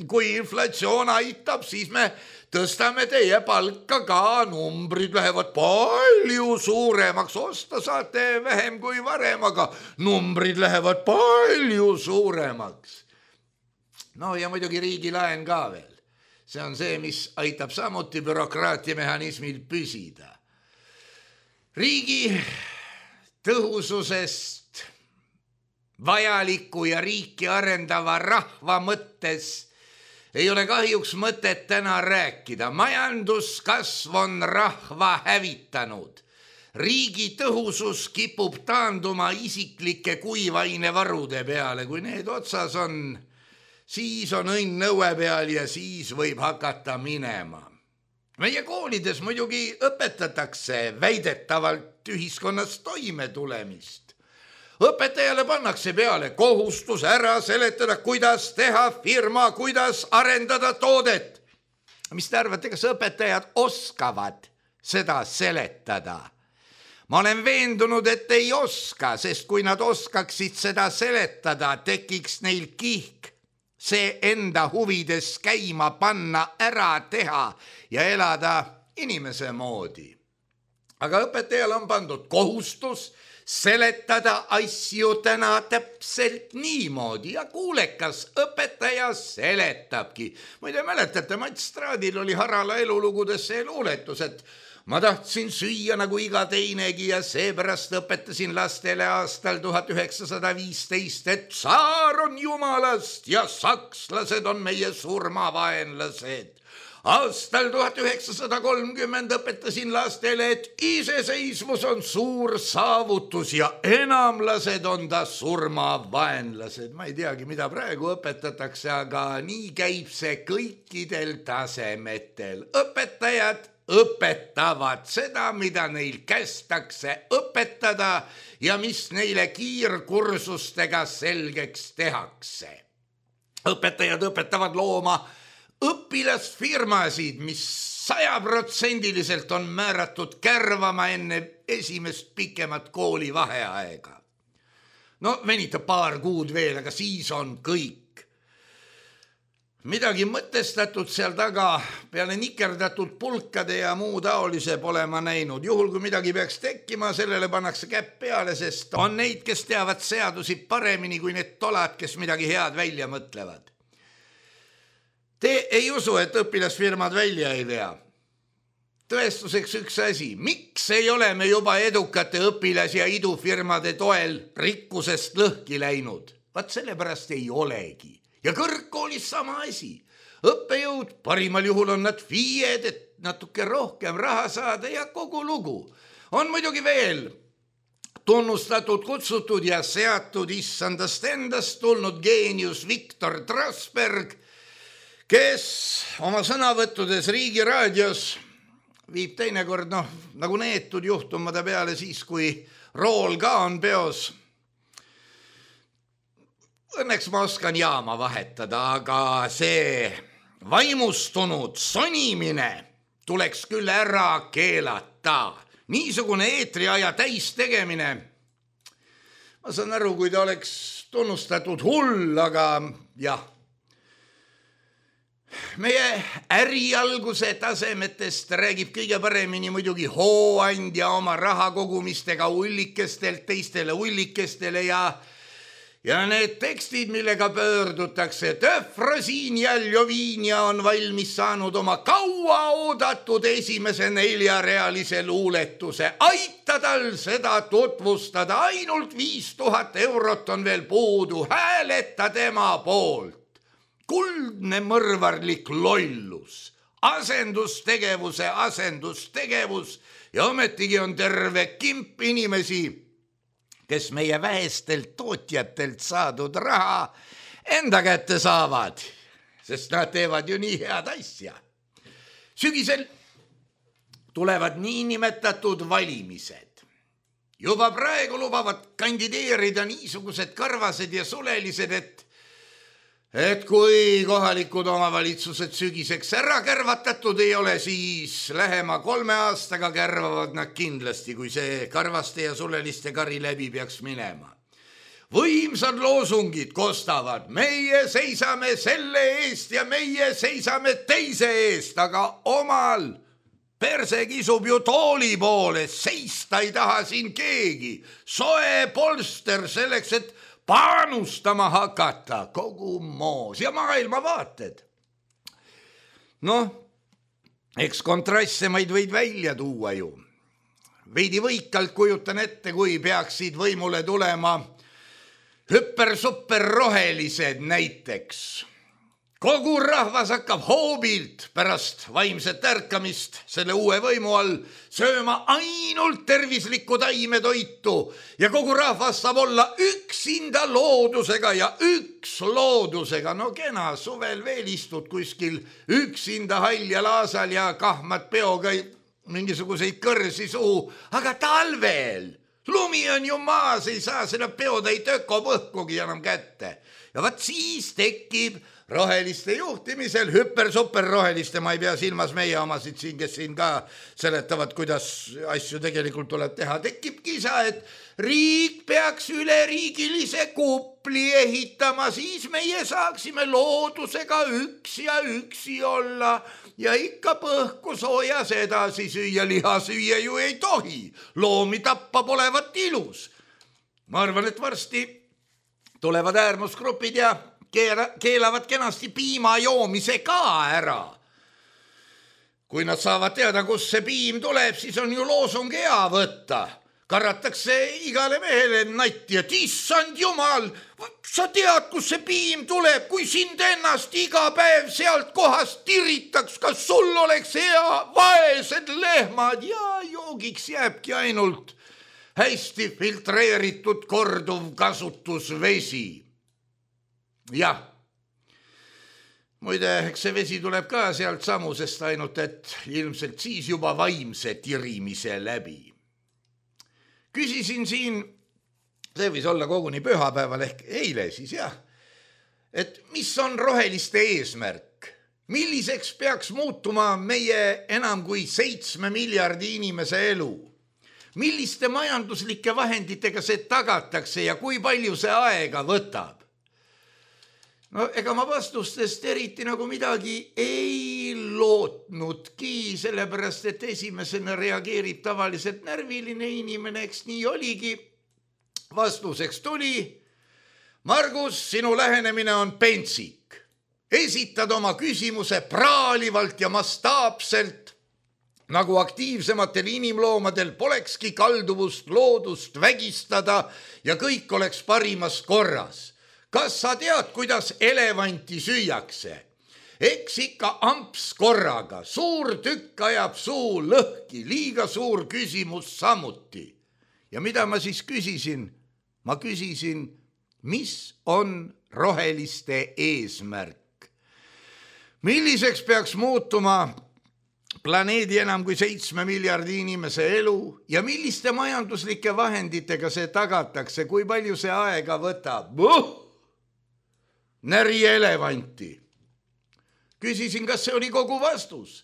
kui inflatsioon aitab, siis me tõstame teie palka ka, numbrid lähevad palju suuremaks, osta saate vähem kui varem, aga numbrid lähevad palju suuremaks. No ja muidugi riigilaen ka veel. See on see, mis aitab samuti bürokraatiamehhanismil püsida. Riigi tõhususest vajaliku ja riiki arendava rahva mõttes ei ole kahjuks mõtet täna rääkida. Majanduskasv on rahva hävitanud. Riigi tõhusus kipub taanduma isiklike kuivainevarude peale. Kui need otsas on, siis on õnn nõue peal ja siis võib hakata minema. Meie koolides muidugi õpetatakse väidetavalt ühiskonnas toime tulemist. Õpetajale pannakse peale kohustus ära seletada, kuidas teha firma, kuidas arendada toodet. Mis te arvate, kas õpetajad oskavad seda seletada? Ma olen veendunud, et ei oska, sest kui nad oskaksid seda seletada, tekiks neil kihk see enda huvides käima panna, ära teha ja elada inimese moodi. Aga õpetajal on pandud kohustus seletada asju täna täpselt niimoodi ja kuulekas õpetaja seletabki. Muide, mäletate, Mats Straadil oli Harala elulugudes see luuletus, et ma tahtsin süüa nagu iga teinegi ja seepärast õpetasin lastele aastal 1915, et tsaar on jumalast ja sakslased on meie surmavaenlased. Aastal 1930 õpetasin lastele, et iseseisvus on suur saavutus ja enamlased on ta surmavaenlased. Ma ei teagi, mida praegu õpetatakse, aga nii käib see kõikidel tasemetel. Õpetajad õpetavad seda, mida neil kästakse õpetada ja mis neile kiirkursustega selgeks tehakse. Õpetajad õpetavad looma õpilasfirmasid, mis 100% on määratud kärvama enne esimest pikemat kooli vaheaega. No venitab paar kuud veel, aga siis on kõik. Midagi mõtestatud seal taga peale nikerdatud pulkade ja muu taolise pole ma näinud. Juhul, kui midagi peaks tekkima, sellele pannakse käpp peale, sest on neid, kes teavad seadusi paremini kui need tolad, kes midagi head välja mõtlevad. Te ei usu, et õpilasfirmad välja ei vea. Tõestuseks üks asi. Miks ei ole me juba edukate õpilas- ja idufirmade toel rikkusest lõhki läinud? Vaat sellepärast ei olegi. Ja kõrgkoolis sama asi. Õppejõud, parimal juhul on nad FIE-d, et natuke rohkem raha saada ja kogu lugu. On muidugi veel tunnustatud, kutsutud ja seatud issandast endast tulnud geenius Viktor Trasberg, kes oma sõnavõttudes Riigi raadios viib teinekord nagu neetud juhtumada peale siis, kui rool ka on peos. Õnneks ma oskan jaama vahetada, aga see vaimustunud sonimine tuleks küll ära keelata. Niisugune eetriaja täis tegemine. Ma saan aru, kui ta oleks tunnustatud hull, aga jah. Meie ärialguse tasemetest räägib kõige paremini muidugi hooandja oma rahakogumistega ullikestelt teistele ullikestele ja need tekstid, millega pöördutakse. Efrosiin ja Ljovinja on valmis saanud oma kaua oodatud esimese 4-realise luuletuse. Aita tal seda tutvustada, ainult 5000 eurot on veel puudu, hääleta tema poolt. Kuldne mõrvarlik lollus, asendustegevus ja ometigi on terve kimp inimesi, kes meie vähestelt tootjatelt saadud raha enda kätte saavad, sest nad teevad ju nii head asja. Sügisel tulevad niinimetatud valimised. Juba praegu lubavad kandideerida niisugused karvased ja sulelised, et kui kohalikud omavalitsused sügiseks ära kärvatatud ei ole, siis lähema 3 aastaga kärvavad nad kindlasti, kui see karvaste ja suleliste kari läbi peaks minema. võimsad loosungid kostavad, meie seisame selle eest ja meie seisame teise eest, aga omal perse kisub ju tooli poole, seista ei taha siin keegi. Soe polster selleks, et panustama hakata, kogu moos ja maailmavaated. Noh, eks kontrassemaid võid välja tuua ju. Veidi võikalt kujutan ette, kui peaksid võimule tulema hüper-super rohelised näiteks. Kogu rahvas hakkab hoobilt pärast vaimset ärkamist selle uue võimu all sööma ainult tervislikku taimetoitu ja kogu rahvas saab olla üksinda loodusega ja üks loodusega. No kena, suvel veel istud kuskil üksinda haljal aasal ja kahmad peoga mingisuguseid kõrsi suhu, aga talvel lumi on ju maas, ei saa seda peotäit ökopõhkugi enam kätte. Ja vaat siis tekib roheliste juhtimisel, hüper-super roheliste, ma ei pea silmas meie omasid siin, kes siin ka seletavad, kuidas asju tegelikult tuleb teha. Tekib kisa, et riik peaks üleriigilise kupli ehitama, siis meie saaksime loodusega üksi olla ja ikka põhku soojas edasi süüa, liha süüa ju ei tohi. Loomi tappa polevat ilus. Ma arvan, et varsti tulevad äärmusgrupid ja keelavad kenasti piima joomise ka ära. Kui nad saavad teada, kus see piim tuleb, siis on ju loosung hea võtta. Karratakse igale mehele natti, et issand jumal, sa tead, kus see piim tuleb, kui sind ennast iga päev sealt kohast tiritaks, kas sul oleks hea, vaesed lehmad ja joogiks jääbki ainult hästi filtreeritud korduv kasutusvesi. Jah, muide, eks see vesi tuleb ka sealt samusest ainult, et ilmselt siis juba vaimse tirimise läbi. Küsisin siin, see võis olla koguni pühapäeval ehk eile siis jah, et mis on roheliste eesmärk? Milliseks peaks muutuma meie enam kui 7 miljardi inimese elu? Milliste majanduslike vahenditega see tagatakse ja kui palju see aega võtab? No ega ma vastustest eriti nagu midagi ei lootnudki, sellepärast et esimesena reageerib tavaliselt närviline inimene, eks nii oligi. Vastuseks tuli, Margus, sinu lähenemine on pentsik. Esitad oma küsimuse praalivalt ja mastaapselt, nagu aktiivsematel inimloomadel polekski kalduvust loodust vägistada ja kõik oleks parimas korras. Kas sa tead, kuidas elevanti süüakse? Eks ikka amps korraga, suur tükk ajab suu lõhki, liiga suur küsimus samuti. Ja mida ma siis küsisin? Ma küsisin, mis on roheliste eesmärk? Milliseks peaks muutuma planeedi enam kui 7 miljardi inimese elu ja milliste majanduslike vahenditega see tagatakse, kui palju see aega võtab? Näri elevanti. Küsisin, kas see oli kogu vastus.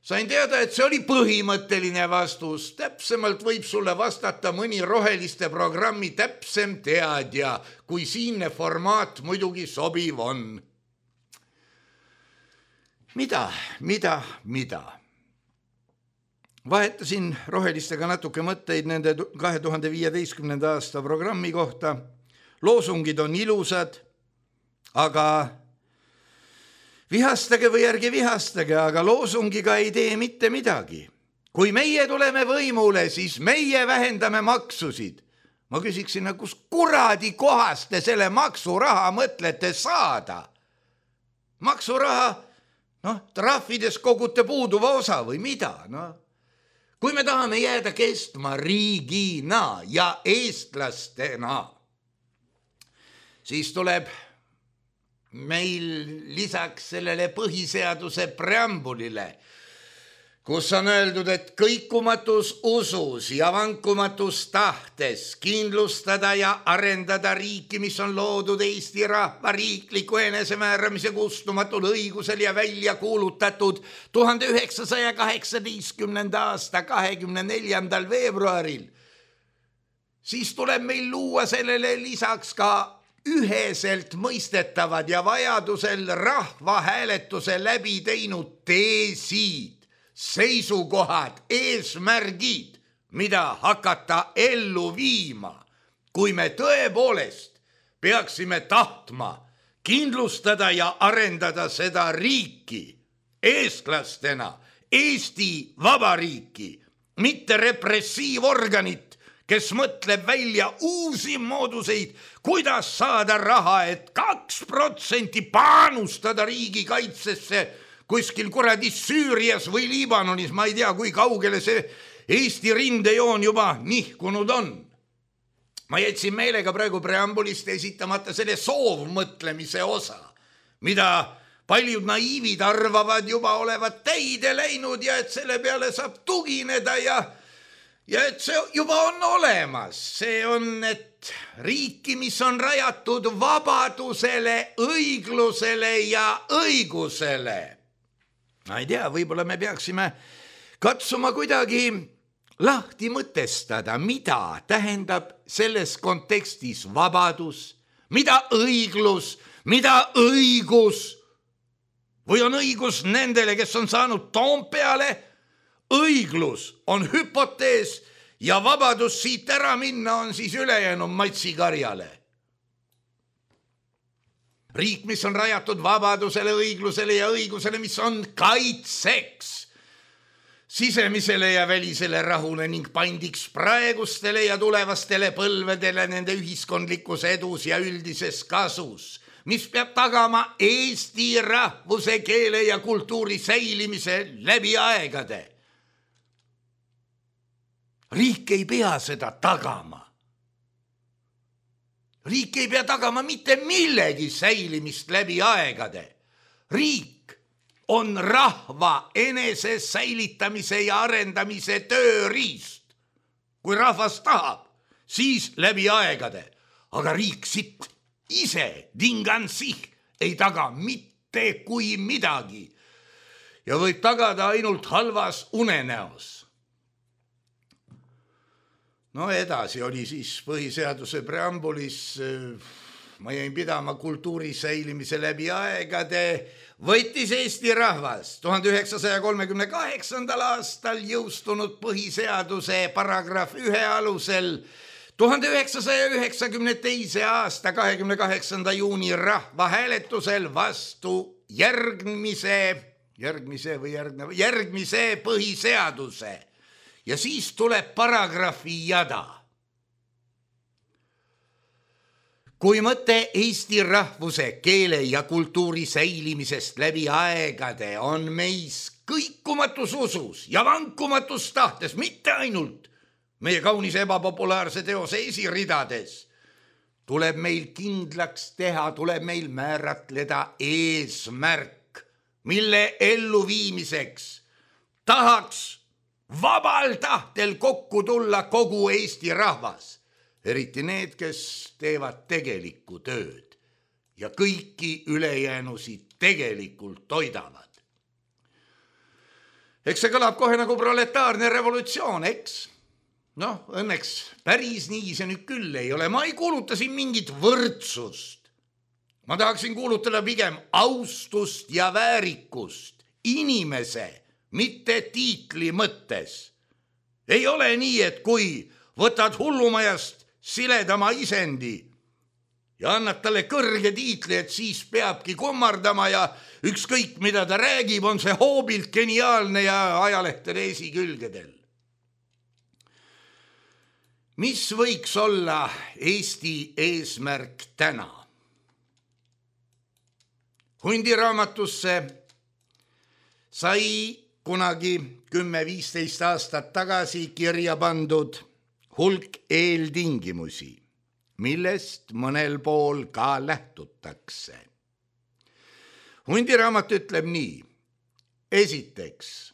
Sain teada, et see oli põhimõtteline vastus. Täpsemalt võib sulle vastata mõni roheliste programmi täpsem teadja, kui siinne formaat muidugi sobiv on. Mida? Vahetasin rohelistega natuke mõtteid nende 2015. aasta programmi kohta. Loosungid on ilusad, aga vihastage või ärge vihastage, aga loosungiga ei tee mitte midagi. Kui meie tuleme võimule, siis meie vähendame maksusid. Ma küsiksin, kus kuradi kohast te selle maksuraha mõtlete saada? Maksuraha, trahvides kogute puuduva osa või mida? Kui me tahame jääda kestma riigina ja eestlastena, siis tuleb meil lisaks sellele põhiseaduse preambulile, kus on öeldud, et kõikumatus usus ja vankumatus tahtes kindlustada ja arendada riiki, mis on loodud Eesti rahva riikliku enesemääramise kustumatul õigusel ja välja kuulutatud 1918. aasta 24. veebruaril. siis tuleb meil luua sellele lisaks ka üheselt mõistetavad ja vajadusel rahvahääletuse läbi teinud teesid, seisukohad, eesmärgid, mida hakata ellu viima, kui me tõepoolest peaksime tahtma kindlustada ja arendada seda riiki eestlastena, Eesti Vabariiki, mitte repressiivorganit, kes mõtleb välja uusi mooduseid, kuidas saada raha, et 2% panustada riigikaitsesse kuskil kuradi Süürias või Liibanonis, ma ei tea, kui kaugele see Eesti rindejoon juba nihkunud on. Ma jätsin meelega praegu preambulist esitamata selle soovmõtlemise osa, mida paljud naiivid arvavad juba olevat täide läinud ja et selle peale saab tugineda ja et see juba on olemas. See on, et riiki, mis on rajatud vabadusele, õiglusele ja õigusele. Ma ei tea, võib-olla me peaksime katsuma kuidagi lahti mõtestada, mida tähendab selles kontekstis vabadus, mida õiglus, mida õigus. Või on õigus nendele, kes on saanud Toompeale, õiglus on hüpotees ja vabadus siit ära minna on siis ülejäänud matsikarjale. Riik, mis on rajatud vabadusele, õiglusele ja õigusele, mis on kaitseks sisemisele ja välisele rahule ning pandiks praegustele ja tulevastele põlvedele nende ühiskondlikus edus ja üldises kasus, mis peab tagama eesti rahvuse, keele ja kultuuri säilimise läbi aegade. Riik ei pea seda tagama. Riik ei pea tagama mitte millegi säilimist läbi aegade. Riik on rahva enese säilitamise ja arendamise tööriist. Kui rahvas tahab, siis läbi aegade. Aga riik siit ise dingansih ei taga mitte kui midagi ja võib tagada ainult halvas unenäos. No edasi oli siis põhiseaduse preambulis, ma jäin pidama kultuuri säilimise läbi aegade, võttis Eesti rahvas 1938. aastal jõustunud põhiseaduse paragrahv 1 alusel 1992. aasta 28. juuni rahvahääletusel vastu järgmise põhiseaduse. Ja siis tuleb paragrahvi jada. Kui mõte Eesti rahvuse, keele ja kultuuri säilimisest läbi aegade on meis kõikumatus usus ja vankumatus tahtes, mitte ainult meie kaunis ebapopulaarse teose esiridades, tuleb meil kindlaks teha, tuleb meil määratleda eesmärk, mille elluviimiseks tahaks vabal tahtel kokku tulla kogu Eesti rahvas, eriti need, kes teevad tegelikku tööd ja kõiki ülejäänusid tegelikult toidavad. Eks see kõlab kohe nagu proletaarne revolutsioon, eks? Noh, õnneks päris nii see nüüd küll ei ole. Ma ei kuuluta siin mingit võrdsust. Ma tahaksin kuulutada pigem austust ja väärikust inimese, mitte tiitli mõttes. Ei ole nii, et kui võtad hullumajast siledama isendi ja annad talle kõrge tiitli, et siis peabki kummardama ja ükskõik, mida ta räägib, on see hoobilt geniaalne ja ajalehtede esikülgedel. Mis võiks olla Eesti eesmärk täna? Hundiraamatusse sai kunagi 10-15 aastat tagasi kirja pandud hulk eeltingimusi, millest mõnel pool ka lähtutakse. Hundiraamat ütleb nii. Esiteks,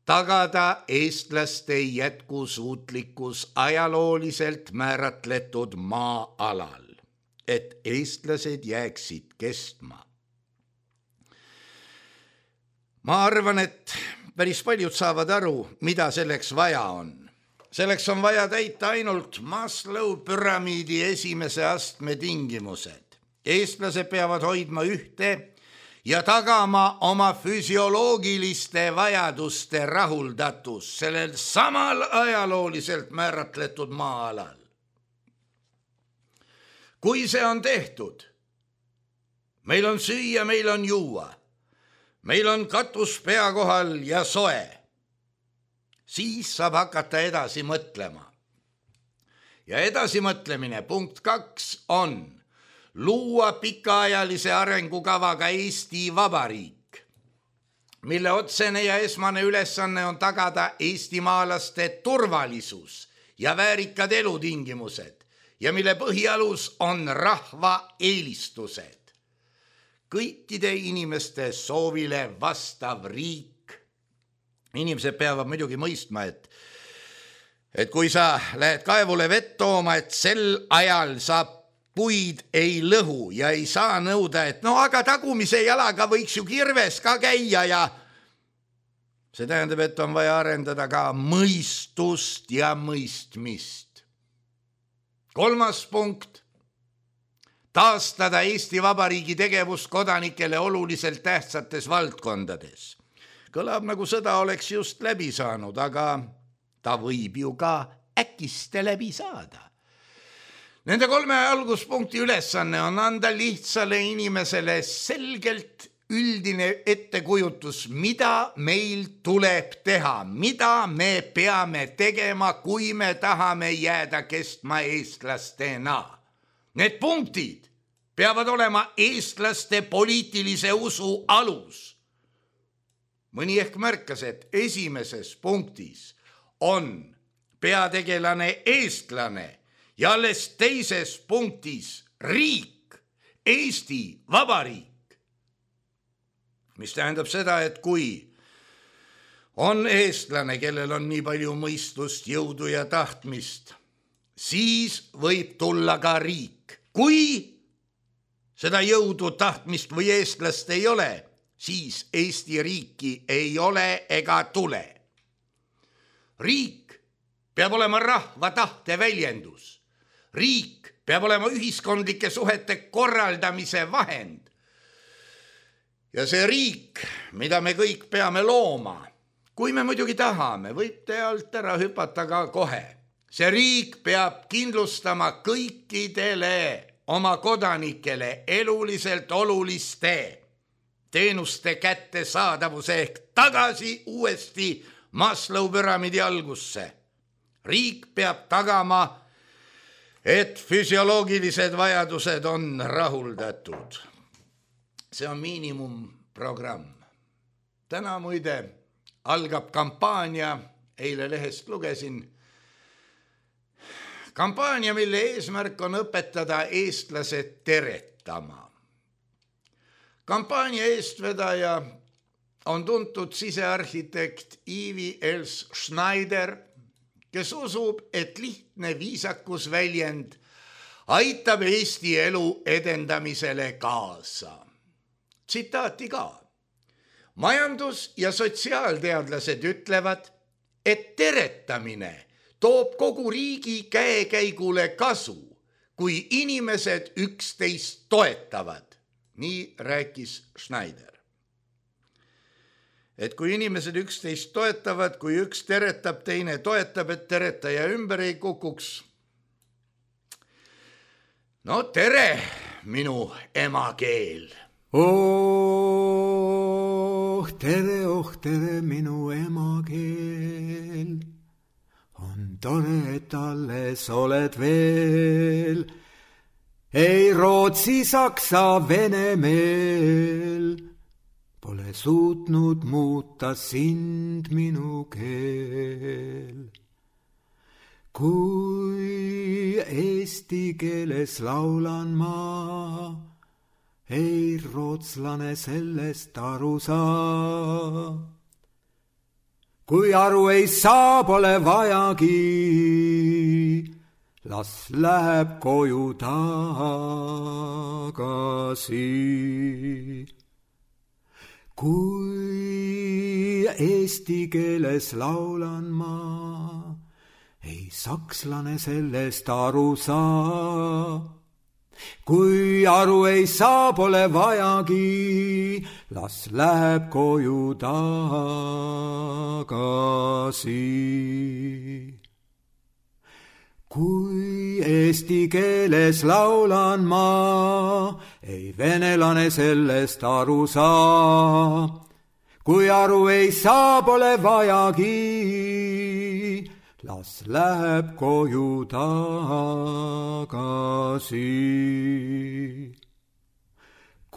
tagada eestlaste jätkusuutlikkus ajalooliselt määratletud maa-alal, et eestlased jääksid kestma. Ma arvan, et päris paljud saavad aru, mida selleks vaja on. selleks on vaja täita ainult Maslow püramiidi esimese astme tingimused. Eestlased peavad hoidma ühte ja tagama oma füsioloogiliste vajaduste rahuldatus sellel samal ajalooliselt määratletud maa-alal. Kui see on tehtud, meil on süüa, meil on juua, meil on katus pea kohal ja soe, siis saab hakata edasi mõtlema. Ja edasimõtlemine, punkt 2 on luua pikaajalise arengukavaga Eesti Vabariik, mille otsene ja esmane ülesanne on tagada eestimaalaste turvalisus ja väärikad elutingimused ja mille põhialus on rahva eelistused. Kõikide inimeste soovile vastav riik. Inimesed peavad muidugi mõistma, et kui sa lähed kaevule vett tooma, et sel ajal sa puid ei lõhu ja ei saa nõuda, et no aga tagumise jalaga võiks ju kirves ka käia ja see tähendab, et on vaja arendada ka mõistust ja mõistmist. 3. punkt. Taastada Eesti Vabariigi tegevus kodanikele oluliselt tähtsates valdkondades. Kõlab nagu sõda oleks just läbi saanud, aga ta võib ju ka äkiste läbi saada. Nende 3 alguspunkti ülesanne on anda lihtsale inimesele selgelt üldine ettekujutus, mida meil tuleb teha, mida me peame tegema, kui me tahame jääda kestma eestlastena. Need punktid peavad olema eestlaste poliitilise usu alus. Mõni ehk märkas, et esimeses punktis on peategelane eestlane ja alles teises punktis riik, Eesti Vabariik. Mis tähendab seda, et kui on eestlane, kellel on nii palju mõistust, jõudu ja tahtmist, siis võib tulla ka riik. Kui seda jõudu, tahtmist või eestlast ei ole, siis Eesti riiki ei ole ega tule. Riik peab olema rahva tahte väljendus. Riik peab olema ühiskondlike suhete korraldamise vahend. Ja see riik, mida me kõik peame looma, kui me muidugi tahame, võib te alt ära hüpata ka kohe. See riik peab kindlustama kõikidele oma kodanikele eluliselt oluliste teenuste kättesaadavuse ehk tagasi uuesti Maslow püramiidi algusse. Riik peab tagama, et füsioloogilised vajadused on rahuldatud. See on miinimumprogramm. Täna muide algab kampaania, eile lehest lugesin, kampaania, mille eesmärk on õpetada eestlased teretama. Kampaania eestvedaja on tuntud sisearhitekt Ivi Els Schneider, kes usub, et lihtne viisakusväljend aitab Eesti elu edendamisele kaasa. Tsitaati ka. Majandus- ja sotsiaalteadlased ütlevad, et teretamine toob kogu riigi käekäigule kasu, kui inimesed üksteist toetavad. Nii rääkis Schneider. Et kui inimesed üksteist toetavad, kui üks teretab, teine toetab, et teretaja ümber ei kukuks. No tere, minu emakeel! Oh, tere, minu emakeel. On tore, et alles oled veel. Ei Rootsi, Saksa, Vene meel. Pole suutnud muuta sind, minu keel. Kui eesti keeles laulan ma, ei rootslane sellest aru saa. Kui aru ei saa, pole vajagi, las läheb koju tagasi. Kui eesti keeles laulan ma, ei sakslane sellest aru saa. Kui aru ei saa, pole vajagi, las läheb koju tagasi. Kui eesti keeles laulan ma, ei venelane sellest aru saa. Kui aru ei saa, pole vajagi, las läheb koju tagasi.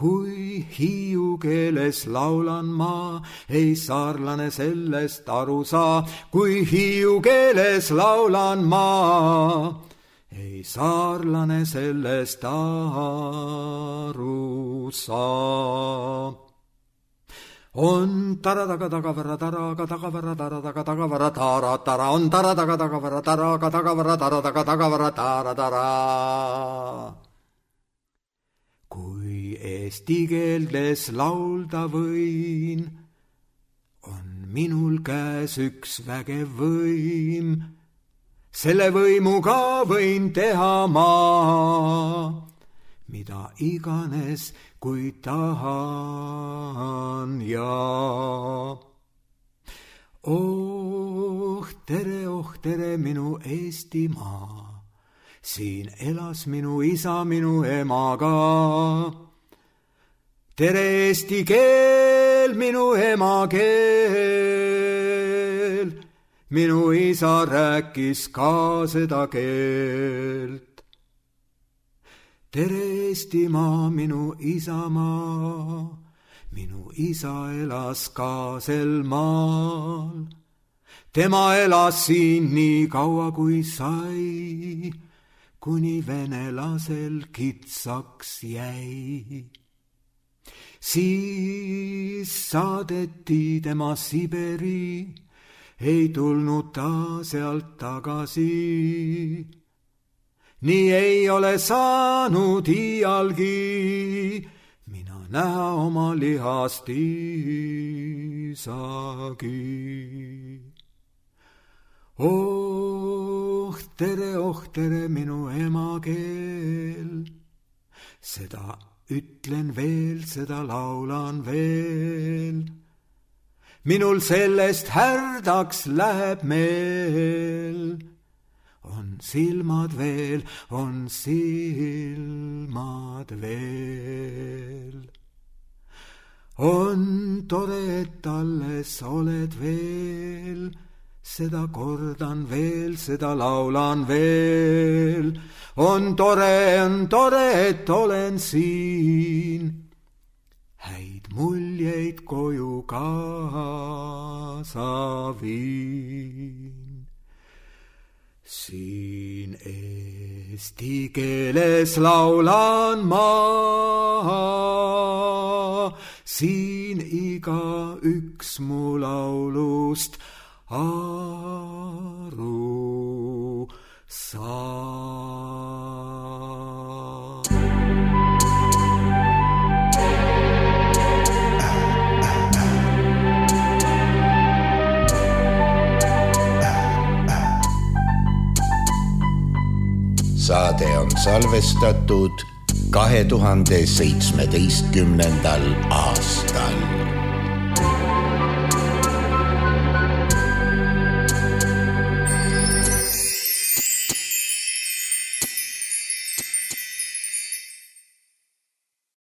Kui hiiu keeles laulan ma, ei saarlane sellest aru saa. Kui hiiu keeles laulan ma, ei saarlane sellest aru saa. On taradaga tagavara taraga tagavara taradaga tagavara tara tara. On taradaga tagavara taraga tagavara taradaga tagavara tara tara. Kui eesti keeldes laulda võin, on minul käes üks vägev võim. Selle võimuga võin teha ma, mida iganes, kui tahan ja. Oh tere, minu Eestimaa, siin elas minu isa minu emaga. Tere eesti keel, minu emakeel, minu isa rääkis ka seda keelt. Tere Eestimaa, minu isamaa, minu isa elas ka sel maal. Tema elas siin nii kaua kui sai, kuni venelasel kitsaks jäi. Siis saadeti tema Siberi, ei tulnud ta sealt tagasi. Nii ei ole saanud iialgi mina näha oma lihast isagi. Oh tere, minu emakeel, seda ütlen veel, seda laulan veel. Minul sellest härdaks läheb meel. On silmad veel, on silmad veel. On tore, et alles oled veel, seda kordan veel, seda laulan veel. On tore, et olen siin, häid muljeid koju kaasa viin. Siin eesti keeles laulan ma, siin iga üks mu laulust aru saa. Saade on salvestatud 2017. aastal.